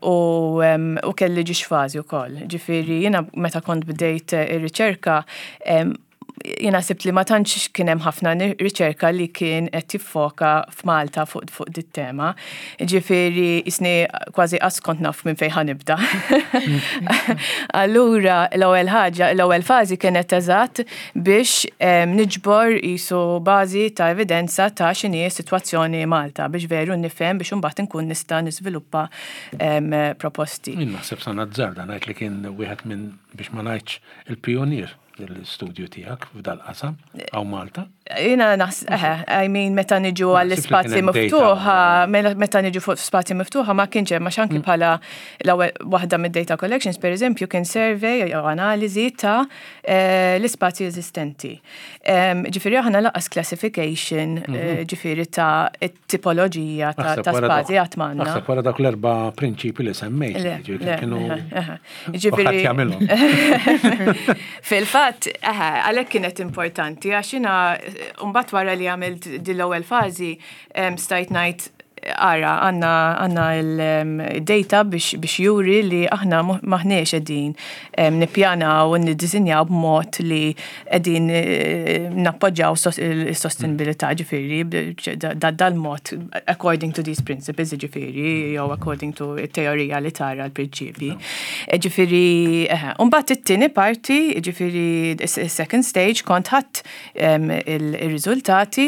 U kelli ġiex fażi wkoll. Ġifieri jiena meta kont bdejt eh, ir-riċerka Jiena sibt li ma tantx kien hemm ħafna riċerka li kien qed jiffoka f'Malta fuq fuq dit tema. Ġifieri jisni kważi qas kont naf minn fejn ħanibda. Allura l-ewwel ħaġa, l-ewwel fażi kienet eżatt biex niġbor jisu bażi ta' evidenza ta' x'inhi s-sitwazzjoni Malta biex veru nifhem biex imbagħad inkun nista' niżviluppa proposti. Jien naħseb sa nazzarda ngħid li kien wieħed minn biex ma ngħidx il-pijunier l-istudju tiegħek f'dal-qasam hawn Malta? Jiena naħs, I mean, meta niġu għall-ispazji miftuħa, meta niġu fuq spazji miftuħa ma kienx hemm għax anki mm. bħala l-ewwel waħda mid-data collections, pereżempju, kien survey jew analiżi ta' eh, l-ispazji eżistenti. Ġifieri aħna laqas classification, eh, mhm. ġifieri ta' tipoloġija ta' spazji għat m'għandna. Naħseb wara dak l-erba' prinċipi li semmejt, kienu. Ġifieri. Fil-fatt, għalhekk kienet importanti għax jiena mbagħad wara li għamilt din l-ewwel fażi stajt ngħid ara, għanna għanna il-data biex, biex juri li aħna maħniex qegħdin nippjanaw u niddisinjaw b'mod li qegħdin eh, nappoġġaw is-sostenibilità ġifieri dal-mod according to these principles ġifieri jew according to it-teorija li tara l-prinċipji. Eh, ġifieri, eh, mbagħad it-tieni parti, ġifieri second stage kont ħadd il-riżultati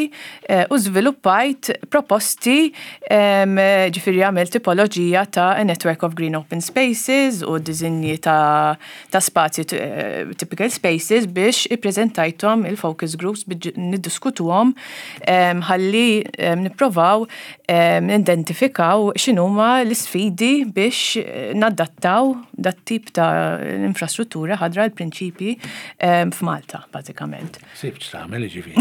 u żviluppajt proposti ġifieri għamilt tipoloġija ta' a network of green open spaces u dizinji ta' ta' spazji typical spaces biex ippreżentajthom il-focus groups biex niddiskutuhom ħalli nipprovaw nidentifikaw x'inhuma l-isfidi biex nadattaw dat-tip ta' infrastruttura ħadra l-prinċipji f'Malta, bażikament. Sibt x'tagħmel jiġifieri.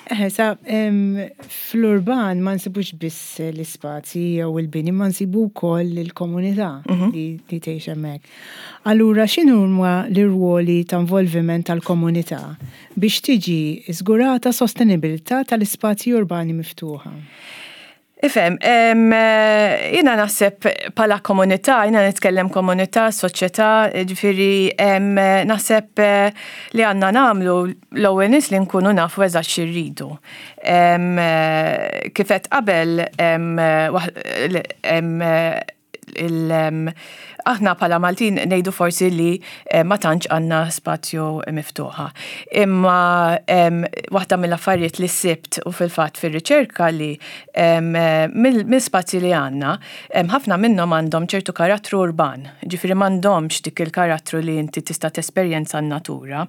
Eħe, sa fl-urban ma nsibux biss l-ispazji jew il-bini, ma nsibu wkoll il-komunità mhm. li tgħix hemmhekk. Allura x'inhuma l-irwoli ta' involviment tal-komunità biex tiġi żgurata sostenibilità tal-ispazji urbani miftuħa? Ifhem, jiena naħseb bħala komunità, jiena nitkellem komunità, soċjetà, ġifieri naħseb eh, li għandna nagħmlu l-ewwel nies li nkunu nafu eżatt xi rridu. Eh, kif qed qabel aħna bħala Maltin ngħidu forsi li eh, ma tantx għandna spazju miftuħa. Imma waħda mill-affarijiet li sibt u fil-fatt fir-riċerka li mill-spazji li għandna, ħafna minnhom għandhom ċertu karattru urban, ġifieri m'għandhomx dik il-karattru li inti tista' tesperjenza n-natura.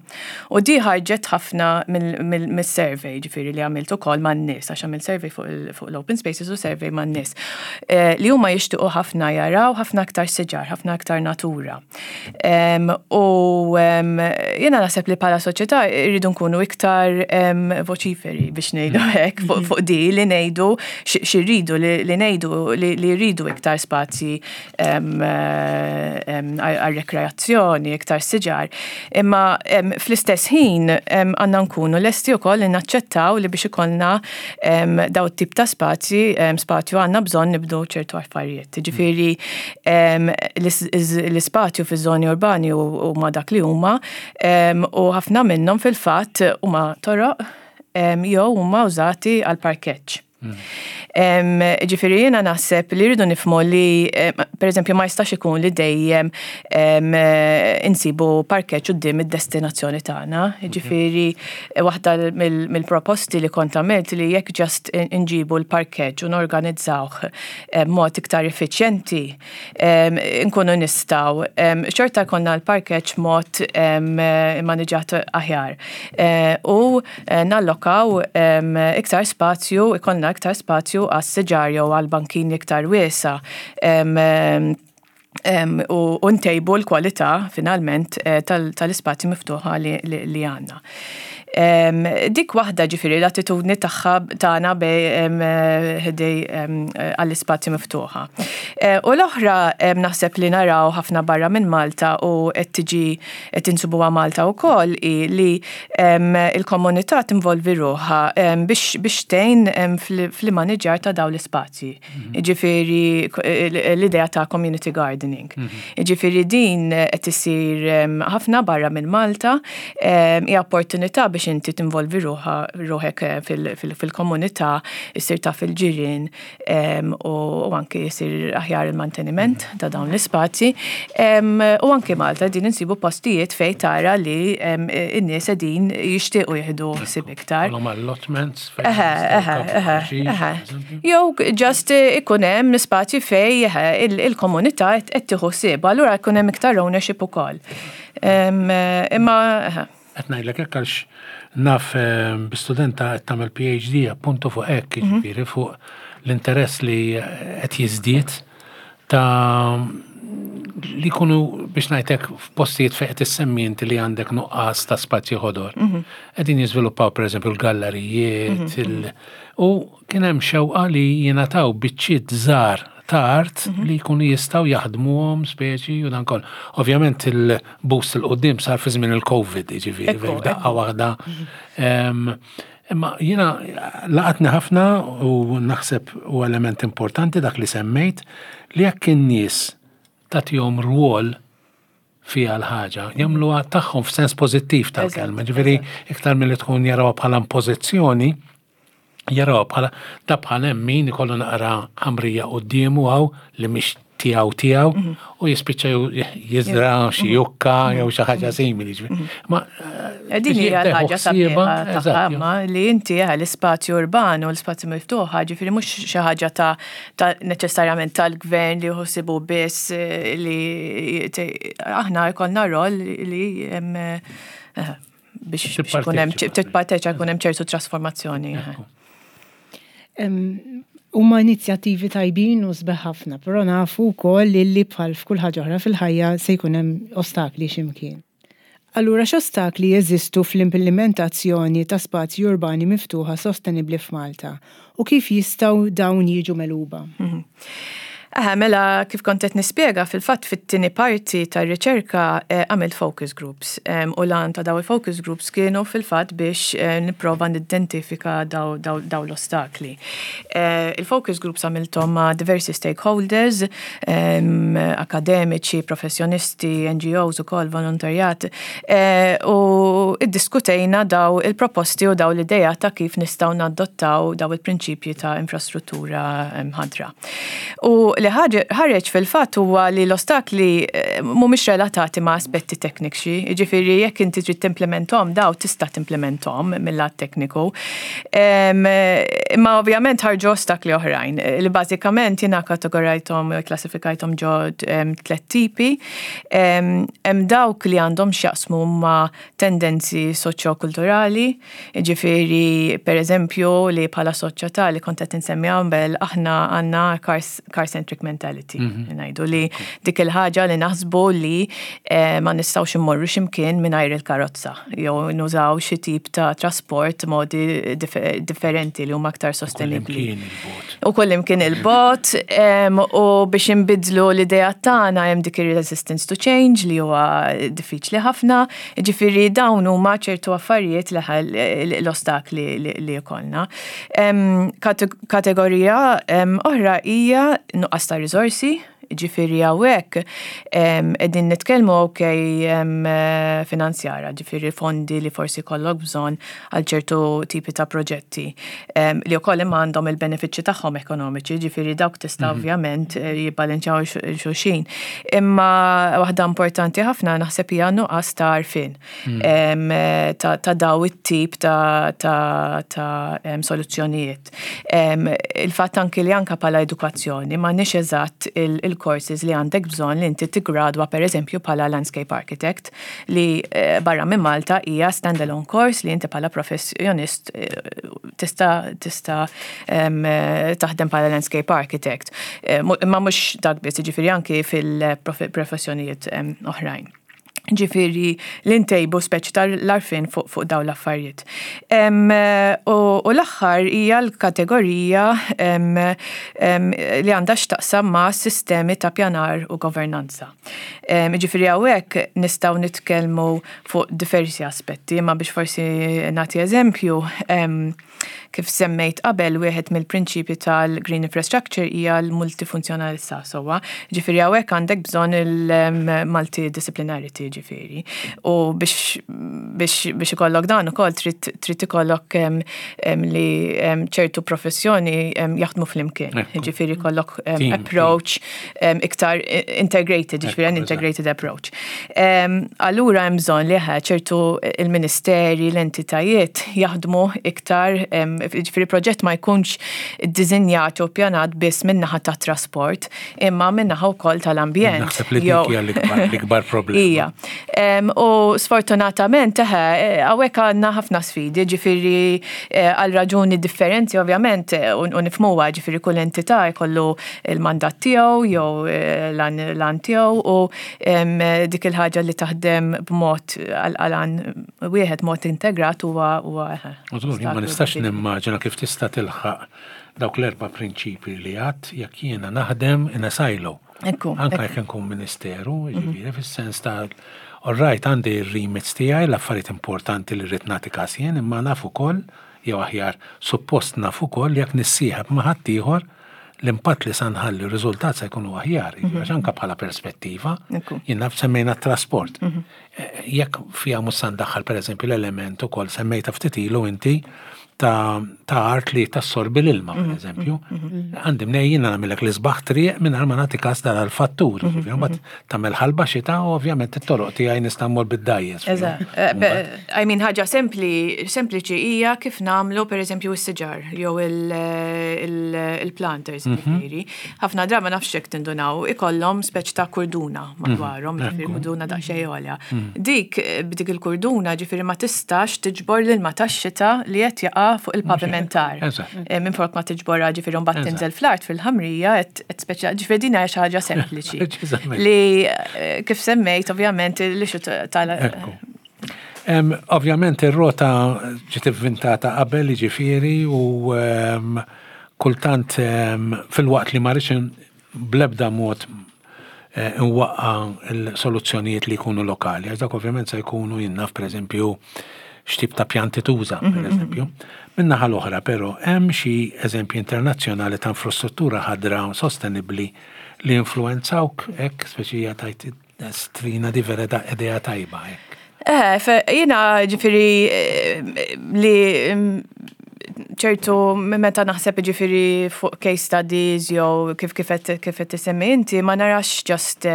U di ħarġet ħafna mill-survey, ġifieri li għamilt ukoll man-nies, għax għamilt survey fuq l-open spaces u survey man-nies. Eh, li huma jixtiequ ħafna jaraw ħafna aktar siġar, ħafna aktar natura. U jiena naħseb li bħala soċjetà rridu nkunu iktar voċiferi biex ngħidu mm. hekk fuq mm-hmm. di li ngħidu xi rridu li ngħidu li rridu iktar spazji għal-rekreazzjoni, iktar siġar. Imma fl-istess ħin għandna nkunu lesti wkoll li naċċettaw li biex ikollna daw tip ta' spazji, spazju għandna bżonn nibdu ċertu affarijiet. Ġifieri l-ispazju fiż-żoni urbani huma dak li huma u ħafna minnhom fil-fatt huma toroq jew huma użati għal parkeġġ. Ġifieri jiena naħseb li rridu nifhmu li, per eżempju, ma jistax ikun li dejjem insibu parkeġġ quddiem id-destinazzjoni tagħna. Ġifieri waħda mill-proposti li kont għamilt li jekk just inġibu l-parkeġġ u norganizzawh b'mod iktar effiċjenti, nkunu nistgħu xorta jkollna l-parkeġġ mod immaniġġat aħjar. Eh, u eh, nallokaw iktar spazju, ikollna iktar spazju għas-siġar jew għal bankini iktar wiesa u ntejbu l-kwalità finalment eh, tal-ispazji miftuħa li għandna. Dik waħda ġifieri l-attitudni tagħha tagħna bej ħdej għall-ispazju miftuħa. U l-oħra naħseb li naraw ħafna barra minn Malta u qed tiġi qed insibuha Malta wkoll hi li il-komunità tinvolvi ruħha biex biex tgħin fl-immaniġġjar ta' dawn l-ispazji. Jiġifieri l-idea ta' community gardening. Jiġifieri din qed issir ħafna barra minn Malta, hija opportunità biex inti tinvolvi ruħek fil-komunità, issir taf il-ġirien u anki jsir aħjar il-manteniment ta' dawn l-ispazji. U anki Malta din insibu postijiet fejn tara li n-nies qegħdin jixtiequ jieħdu ħsieb iktar. Allotments. Jew just ikun hemm spazju fej il-komunità qed tieħu ħsieb, allura jkun hemm iktar ownership ukoll. Imma Qed ngħidlek hekk għax naf bi studenta qed tagħmel PhD appuntu fuq hekk, jiġifieri fuq l-interess li qed jiżdied ta' li jkunu biex ngħidlek f'postijiet fejn qed issemmi inti li għandek nuqqas ta' spazji ħodor. Qegħdin jiżviluppaw pereżempju l-gallerijiet u kien hemm xewqa li jingħataw biċċiet żgħar ta' art li jkunu jistgħu jaħdmuhom speċi u dan kollu. Ovvjament il-boost 'il quddiem sar fi żmien il-Covid, jiġifieri daqqa waħda. Imma jiena laqatni ħafna u naħseb u element importanti dak li semmejt li jekk in-nies tagħtihom rwol fiha l-ħaġa, jagħmluha tagħhom f'sens pożittiv tal-kelma, ġifieri iktar milli tkun jarawha bħala impożizzjoni, jarawha bħala da bħal hemm min ikollu naqra ħamrija quddiemu hawn li mhix tiegħu tiegħu mhm. u jispiċċa jiżra xi mhm. jukka jew xi ħaġa mhm. simili. Ma eh, din hija l-ħaġa sabiħa ma li inti eh, l-ispazju urban u l-ispazju miftuħa ġifieri mhux xi ħaġa ta' neċessarjament tal-gvern li jħossibu biss eh, li aħna jkollna rol li biex ikun hemm titparteċa jkun hemm ċertu trasformazzjoni. Huma inizjattivi tajbin u sbeħ ħafna, però nafu wkoll illi bħal f'kull ħaġa oħra fil-ħajja se jkun hemm ostakli xi mkien. Allura x'ostakli jeżistu fl-implimentazzjoni ta' spazji urbani miftuħa sostenibbli f'Malta u kif jistgħu dawn jiġu megħluba? Eħe, mela kif kont qed nispjega, fil-fatt fit-tieni parti tar-riċerka għamilt focus groups u l-għan ta' daw il-focus groups kienu fil-fatt biex nipprova nidentifika daw l-ostakli. Il-focus groups għamilthom ma' diversi stakeholders, akademiċi, professjonisti, NGOs ukoll, volontarjat, u iddiskutejna daw il-proposti u daw l-idejat ta' kif nistgħu nadottaw daw il-prinċipji ta' infrastruttura ħadra. U li ħareġ fil-fatt huwa li l-ostakli eh, mhumiex relatati ma' aspetti tekniċi, jiġifieri jekk inti trid timplementhom daw tista' timplementhom mill-lat tekniku. Imma ovvjament ħarġu ostakli oħrajn li bażikament jiena kategorajthom klassifikajthom ġo tliet tipi. Hemm dawk li għandhom x'jaqsmu ma' tendenzi soċjokulturali, Jiġifieri, pereżempju, li bħala soċjetà li kont qed insemmi qabel, aħna għandna car-centric mentality. Mhm. Ngħidu li dik il-ħaġa li naħsbu li eh, ma nistgħux immorru x'imkien mingħajr il-karozza jew nużaw xi tip ta' trasport modi differenti li huma aktar sostenibbli. U kullimkien il-bot u biex inbidlu l-idea tagħna hemm dik ir-resistance to change li huwa diffiċli ħafna. Ġifieri dawn huma ċertu affarijiet li l-ostakli li jkollna. Kategorija oħra hija nuqqas ta' riżorsi, ġifieri hawnhekk qegħdin nitkellmu ok finanzjara, ġifieri fondi li forsi jkollok bżonn għal ċertu tipi ta' proġetti li wkoll imma għandhom il-benefiċċji tagħhom ekonomiċi, ġifieri dawk tista' mhm. ovvjament eh, jibbalinċaw xulxin. Imma waħda importanti ħafna naħseb hija nuqqas ta' għarfien mhm. ta' daw it-tip ta' soluzzjonijiet. Il-fatt anki li anka bħala edukazzjoni m'għandniex eżatt il-courses li għandek bżonn li inti tiggradwa pereżempju bħala landscape architect li eh, barra minn Malta hija standalone course li inti bħala professjonist eh, tista' tista' eh, taħdem bħala landscape architect. Imma mhux dak biss, jiġifieri anki fil-professjonijiet oħrajn. Ġifieri li ntejbu speċi tal-għarfien fuq fuq dawn l-affarijiet. U l-aħħar hija l-kategorija li għandha x'taqsam ma' sistemi ta' pjanar u governanza. Ġifieri hawnhekk nistgħu nitkellmu fuq diversi aspetti, imma biex forsi nagħti eżempju, Kif semmejt qabel, wieħed mill-prinċipji tal-green infrastructure hija l-multifunzjonalità sewwa. Ġifieri hawnhekk għandek bżonn il-multidisciplinarity ġifieri. U biex biex biex ikollok dan ukoll trid trid ikollok li ċertu professjoni jaħdmu flimkien. Ġifieri jkollok approach iktar integrated, ġifieri an integrated approach. Allura hemm bżonn li ċertu il-ministeri, l-entitajiet jaħdmu iktar, ġifieri proġett ma jkunx iddiżinjat u ppjanat biss min-naħa tat-trasport, imma min-naħa wkoll tal-ambjent. Naħseb li dik hija l-ikbar problema. Hija. U sfortunatament, eħe, hawnhekk għandna ħafna sfidi, ġifieri għal raġuni differenti ovvjament u nifhmuha, ġifieri kull entità jkollu l-mandat tiegħu jew l-għan tiegħu u dik il-ħaġa li taħdem b'mod għal wieħed mod integrat huwa huwa Żgur, ma nistax nimmaġina kif tista' tilħaq dawk l-erba' prinċipji li għadt jekk jiena naħdem in a silo. Anka jekk inkun ministeru, mhm. jiġifieri fis-sens ta' all right, għandi r-remits tiegħi, l-affarijiet importanti li rrid nagħti każ jien, imma naf ukoll jew aħjar suppost naf ukoll jekk nissieħeb ma' ħaddieħor l-impatt li sa nħalli r-riżultat se jkunu aħjar, mhm. għax anka bħala perspettiva, jien naf semmejna t-trasport. Mhm. Eh, jekk fija mhux sa ndaħħal pereżempju l-element ukoll semmejta ftit ilu inti ta' art li tassorbi l-ilma, per mhm, eżempju. Għandi mnej jiena nagħmilek l-isbaħ triq mingħajr ma nagħti każ dan għall-fattur. Mbagħad tagħmel ħalba xita u ovvjament it-toroq tiegħi nista' mmur bid-dajjes. Eh, I mean ħaġa sempli, sempliċi hija kif nagħmlu pereżempju s-siġar jew il-planters mhm. ġifieri. Ħafna drabi ma nafx jekk tindunaw ikollhom speċ ta' kurduna mhm. madwarhom, ġifieri kurduna daqsxejn għolja. Mhm. Dik b'dik il-kurduna ġifieri ma tistax tiġbor l-ilma tax-xita li qed jaqa' fuq il-pavimentar. Eh, minn flok ma tiġborha ġifieri mbagħad tinżel fl-art fil-ħamrija qed speċa ġifieri din hija xi ħaġa sempliċi. Li eh, kif semmejt ovvjament l-ixu tal Ovvjament ir-rota ġiet ivvintata qabel jiġifieri u kultant filwaqt li ma rridx bl-ebda mod eh, nwaqqa l-soluzzjonijiet li jkunu lokali, għax dak ovvjament se jkunu jien naf pereżempju x'tip ta' pjanti tuża, mhm, pereżempju. Mhm. Min-naħa l-oħra però hemm xi eżempji internazzjonali ta' infrastruttura ħadra sostenibbli li influenzawk hekk speċi tajt Strina di vera da idea tajba hekk. Eh, jiena ġifieri eh, li mm, ċertu meta naħseb ġifieri fuq case studies jew kif kif qed tisemmi inti ma narax just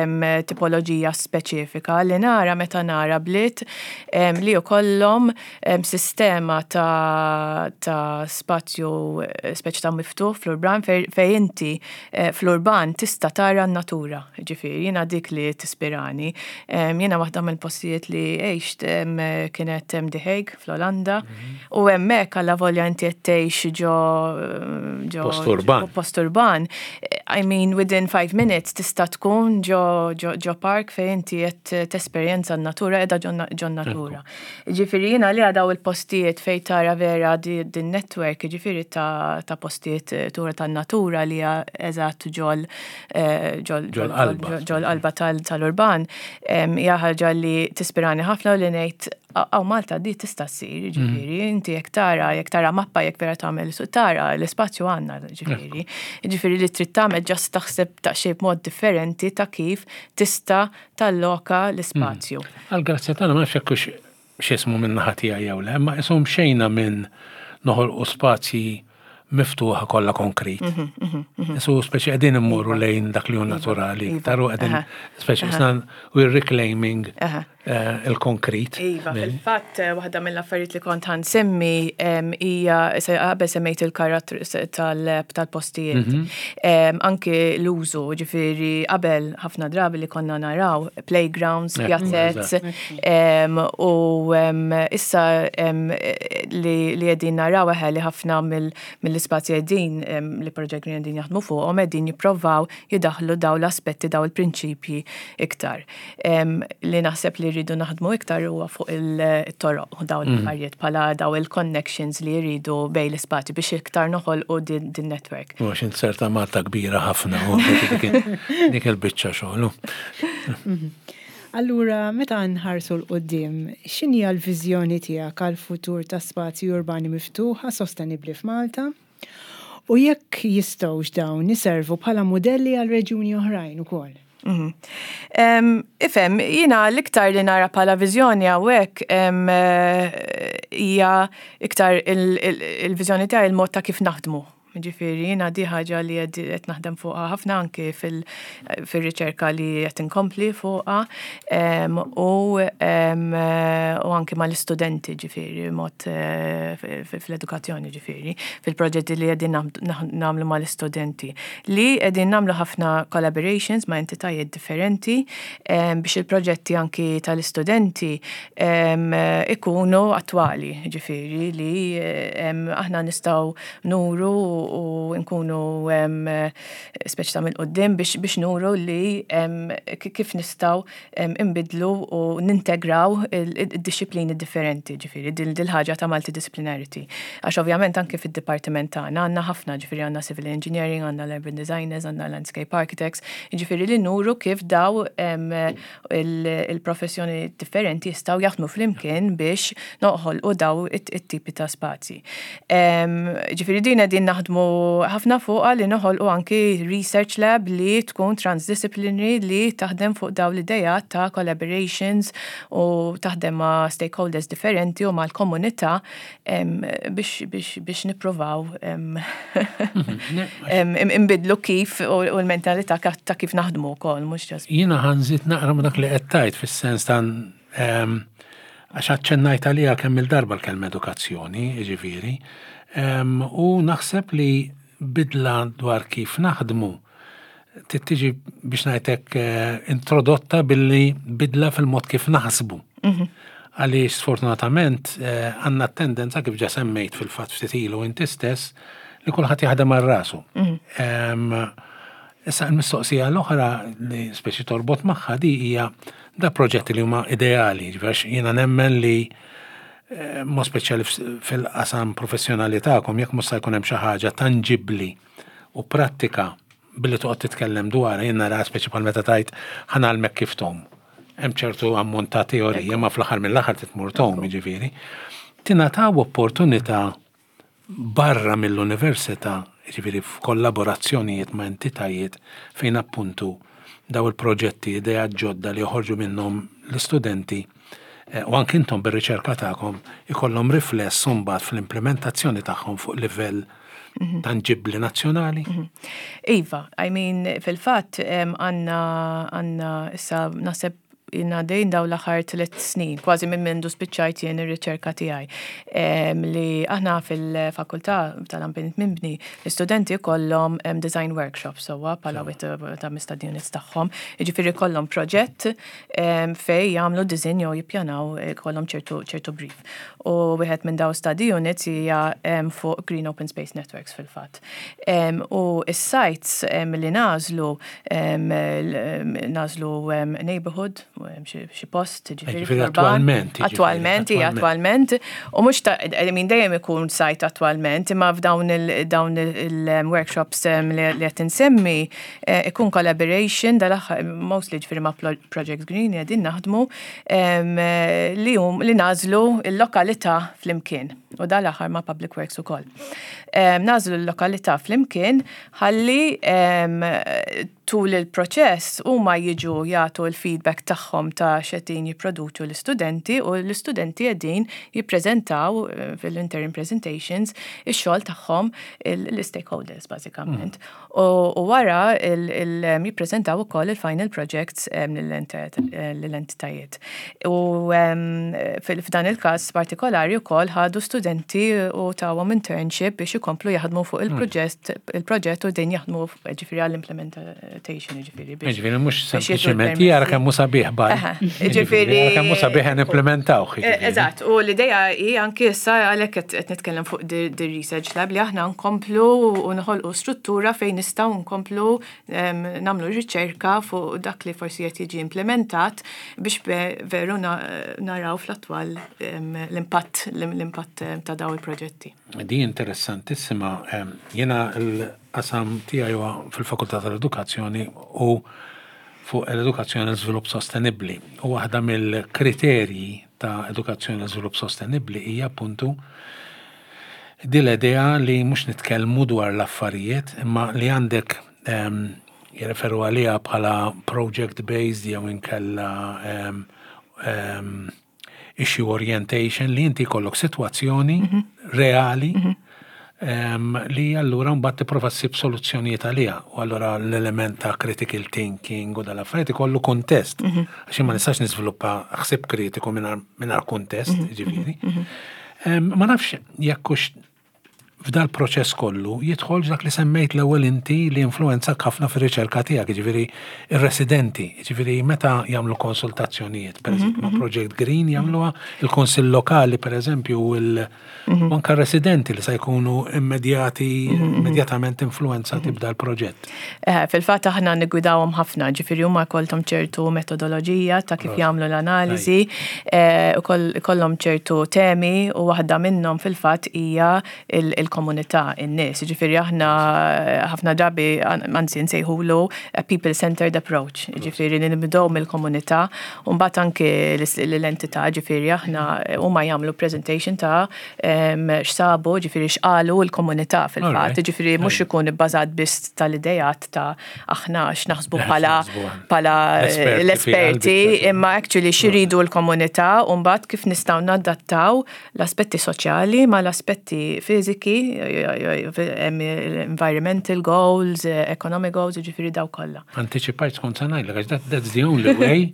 tipoloġija speċifika li nara meta nara bliet li jkollhom sistema ta' ta' spazju eh, speċi ta' miftuħ fl-urban fejn inti eh, fl-urban tista' tara n-natura. Ġifieri, jiena dik li tispirani. Jiena waħda mill-postijiet li għext kienet The Hague fl-Olanda mhm. u hemmhekk alla volja inti qed tgħix ġo ġo post urban. Post urban. I mean within five minutes tista' tkun ġo ġo park fejn inti qed tesperjenza n-natura qiegħda ġo natura. Ġifieri jiena li daw il-postijiet fejn tara vera din network, ġifieri ta' postijiet eh, tura tan-natura li hija eżatt ġol eh, ġol qalba tal-urban, hija ħaġa li tispirani ħafna u li ngħid għaw Malta di tista' ssir, mhm. ġifieri, inti jekk tara, jekk tara mappa, jekk vera tagħmel suq tara l-ispazju għandna, ġifieri. Ġifieri li trid tagħmel ġast taħseb ta' xejn b'mod differenti ta' kif tista' talloka l-ispazju. Mm. Għall-grazzja tagħna ma nafx jekk hux x'ismu minn naħa tiegħi jew le, imma qishom xejna minn noħolqu spazji miftuħa kollha konkrit. Mhm, mhm, mhm. Isu speċi qegħdin immorru iva. lejn dak li hu iva. naturali, iva. iktar u qegħdin speċi isna we're reclaiming eh, il-konkrit. Iva, fil-fatt eh, waħda mill-affarijiet li kont ħansemmi hija qabel semmejt il-karattru tal-postijiet. Mhm. Anki l-użu, ġifieri qabel ħafna drabi li konna naraw playgrounds, pjazzez, u issa li qegħdin naraw eħe li ħafna mill-ispazji qegħdin li Project Green qegħdin jaħdmu fuqhom qegħdin jipprovaw jidaħlu daw l-aspetti daw il-prinċipji iktar. Li naħseb li rridu naħdmu iktar huwa fuq il-toroq u dawn l-affarijiet bħala daw il-connections li jridu bejn l-ispazji biex iktar noħolqu din network. U għax inzerta Malta kbira ħafna u dik il-biċċa xogħol. Allura, meta nħarsu 'l quddiem, x'inhi l-viżjoni tiegħek għall-futur ta' spazji urbani miftuħa sostenibbli f'Malta? U jekk jistgħux dawn iservu bħala mudelli għal reġjuni oħrajn ukoll? Ifhem, jiena l-iktar li nara bħala viżjoni hawnhekk hija iktar il-viżjoni tiegħi, il-mod ta' kif naħdmu. Ġifieri, jiena di ħaġa li qed naħdem fuqha ħafna anki fil-riċerka li qed inkompli fuqha u anki mal-istudenti, ġifieri, mod fl-edukazzjoni, ġifieri, fil-proġetti li qegħdin nagħmlu mal-istudenti. Li qegħdin nagħmlu ħafna collaborations ma' entitajiet differenti biex il-proġetti anki tal-istudenti ikunu attwali, ġifieri li aħna nistgħu nuru u nkunu speċi ta' minn quddiem biex nuru li kif nistgħu imbidlu u nintegraw il-disciplini differenti, ġifieri, dil-ħaġa ta' multidisciplinarity. Għax ovvjament anke fid-dipartiment tagħna għandna ħafna, ġifieri, għandna civil engineering, għandna l-urban designers, għandna landscape architects, ġifieri li nuru kif daw il-professjoni differenti jistgħu jaħdmu flimkien biex noħolqu daw it-tipi ta' spazji. Ġifieri din qegħdin naħdmu ħafna fuqha, li noħolqu anki research lab li tkun transdisciplinary, li taħdem fuq daw l-idejat ta' collaborations u taħdem ma' stakeholders differenti u mal-komunità biex nippruvaw imbidlu kif u l-mentalità ta' kif naħdmu wkoll, mhux just. Jiena ħa nżid naqra ma' dak li qed tgħid, fis-sens ta' għax aċċennajt għaliha kemm il-darba l-kelma edukazzjoni, jiġifieri. U naħseb li bidla dwar kif naħdmu tiġi, biex ngħidlek, introdotta billi bidla fil-mod kif naħsbu. Għaliex sfortunatament għandna tendenza, kif ġa semmejt fil-fatt ftit ilu inti stess, li kulħadd jaħdem għal rasu. Issa l-mistoqsija l-oħra li speċi torbot magħha di hija da proġetti li huma ideali, ġifieri jiena nemmen li mod speċjali fil-qasam professjonali tagħkom, jekk mhux se jkun hemm xi ħaġa tanġibbli u prattika billi toqgħod titkellem dwar, jien nara speċi bħal meta tgħid "ħa ngħallmek kif tgħum". Hemm ċertu ammont ta' teorija, ma fl-aħħar mill-aħħar tmur tgħum, jiġifieri. Tingħataw opportunità barra mill-università, jiġifieri f'kollaborazzjonijiet ma' entitajiet fejn appuntu daw il-proġetti, idea ġodda li joħorġu minnhom l-istudenti u anki intom bir-riċerka tagħkom ikollhom rifless mbagħad fl-implementazzjoni tagħhom fuq livell tanġibbli nazzjonali? Iva, I mean, fil-fatt għandna issa naħseb jiena dejn daw l-aħħar 3 snin, kważi minn mindu spiċċajt jien ir-riċerka tiegħi. Li aħna fil-fakultà tal-ambjent mibni, l-istudenti kollhom design workshops sewwa bħala wieħed ta' study units tagħhom. Jiġifieri kollhom proġett fej jagħmlu design jew jippjanaw, kollhom ċertu brief. U wieħed minn daw study units hija fuq Green Open Space Networks fil-fatt. U is-sites li nagħżlu, nagħżlu neighborhood, xi post, ġifieri attualment. Attualment, hija attualment. U mhux ta', I mean, dejjem ikun site attualment, imma f'dawn dawn il-workshops li qed insemmi ikun collaboration dal-aħħar mostly, ġifieri ma' Project Green qegħdin naħdmu li nagħżlu il-lokalità flimkien u dal-aħħar ma' Public Works ukoll. Nagħżlu l-lokalità flimkien ħalli tul il-proċess huma jiġu jagħtu l-feedback tagħhom ta' x'qegħdin jipproduċu l-istudenti u l-istudenti qegħdin jippreżentaw fil-interim presentations ix-xogħol tagħhom l-stakeholders bażikament. U wara jippreżentaw ukoll il-final projects lill-entitajiet. U f'dan il-każ partikolari wkoll ħadu studenti u tawhom internship biex ikomplu jaħdmu fuq il-proġett il-proġett u din jaħdmu ġifieri għall-implementation ġifieri biex. Ġifieri mhux sempliċement jara kemm hu sabiħ baj. Ġifieri kemm hu sabiħ nimplementawh. E, eżatt, u l-idea hi anki issa għalhekk qed nitkellem fuq di research lab li aħna nkomplu u noħolqu struttura fejn nistgħu nkomplu nagħmlu riċerka fuq dak li forsi qed jiġi implementat biex veru naraw fl-attwal l-impatt l-impatt ta' daw il-proġetti. Di interessantissima. Jiena l-qasam tiegħi huwa fil-Fakultà tal-Edukazzjoni u fuq l-edukazzjoni u l-żvilupp sostenibbli. U waħda mill-kriterji ta' edukazzjoni u żvilupp sostenibbli hija appuntu din l-idea li mhux nitkellmu dwar l-affarijiet imma li għandek jirreferu għaliha bħala project based jew inkella issue orientation li inti jkollok sitwazzjoni mhm. reali mhm. li allura mbagħad tipprova ssib soluzzjonijiet għaliha. U allura l-element ta' critical thinking u dal-affarijiet ikollu kontest. Mhm. Għax ma nistax niżviluppa ħsieb kritiku mingħajr kontest, ġifieri. Ma nafx jekk hux f'dal proċess kollu jidħol dak li semmejt l-ewwel inti li influenzak ħafna fir-riċerka tiegħek, jiġifieri ir-residenti, jiġifieri meta jagħmlu konsultazzjonijiet, pereżempju ma' mhm, mhm. Project Green jagħmluha, il-Kunsill Lokali pereżempju u mhm. anke residenti li se jkunu immedjati immedjatament influenzati b'dal proġett. Eh, fil-fatt aħna niggwidawhom ħafna, ġifieri huma jkollhom ċertu metodoloġija ta' kif jagħmlu l-analiżi, eh, kollhom ċertu temi u waħda minnhom fil-fatt hija il-komunità, in-nies. Ġifieri aħna eh, ħafna drabi anzi nsejħulu people-centered approach, ġifieri li nibdew mill-komunità u mbagħad anke l-entità, ġifieri aħna huma jagħmlu presentation ta' x'sabu, ġifieri x'qalu l-komunità fil-fatt, ġifieri mhux ikun ibbażat biss tal-idejat ta' aħna x'naħsbu bħala bħala l-esperti, imma actually x'iridu l-komunità u mbagħad kif nistgħu nadattaw l-aspetti soċjali ma l-aspetti fiżiki, environmental goals, economic goals, ġifieri daw kollha. Antiċipajt skont se ngħidlek għax that's the only way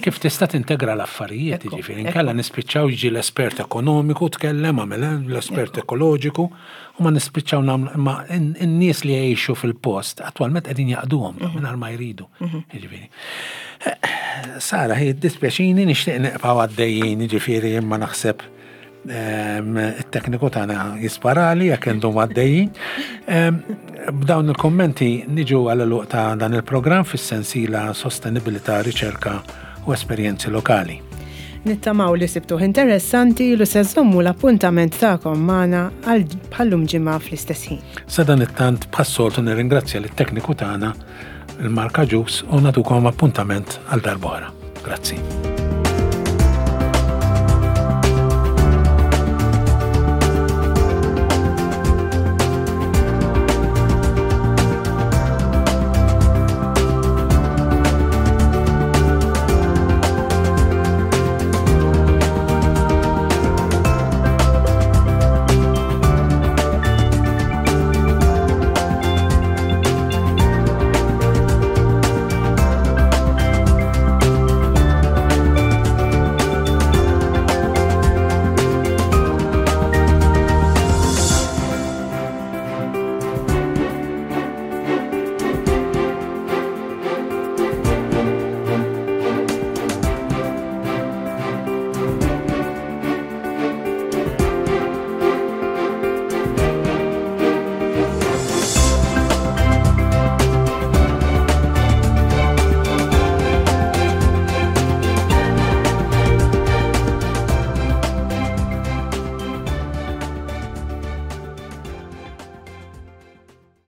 kif tista' tintegra l-affarijiet, jiġifieri inkella nispiċċaw jiġi l-espert ekonomiku tkellem għamel eh, l-espert ekoloġiku u ma nispiċċaw nagħmlu imma n-nies li jgħixu fil-post attwalment qegħdin jaqduhom mhm. mingħajr ma jridu. Mhm. Jiġifieri. Eh, Sara, hi dispjaċini nixtieq neqgħu għaddejjin, jiġifieri imma naħseb It-tekniku tagħna jisparali jekk intom għaddejjin. B'dawn il-kommenti niġu għal luq ta' dan il-programm fis-sensiela Sostenibilità, Riċerka u Esperjenzi Lokali. Nittamaw li sibtuh interessanti lu se żommu l-appuntament tagħkom magħna għal bħallum ġimgħa fl-istess ħin. Sa dan it-tant bħas-soltu nirringrazzja lit-tekniku tagħna il-Marka Ġus u natukom appuntament għal darb'oħra. Grazzi.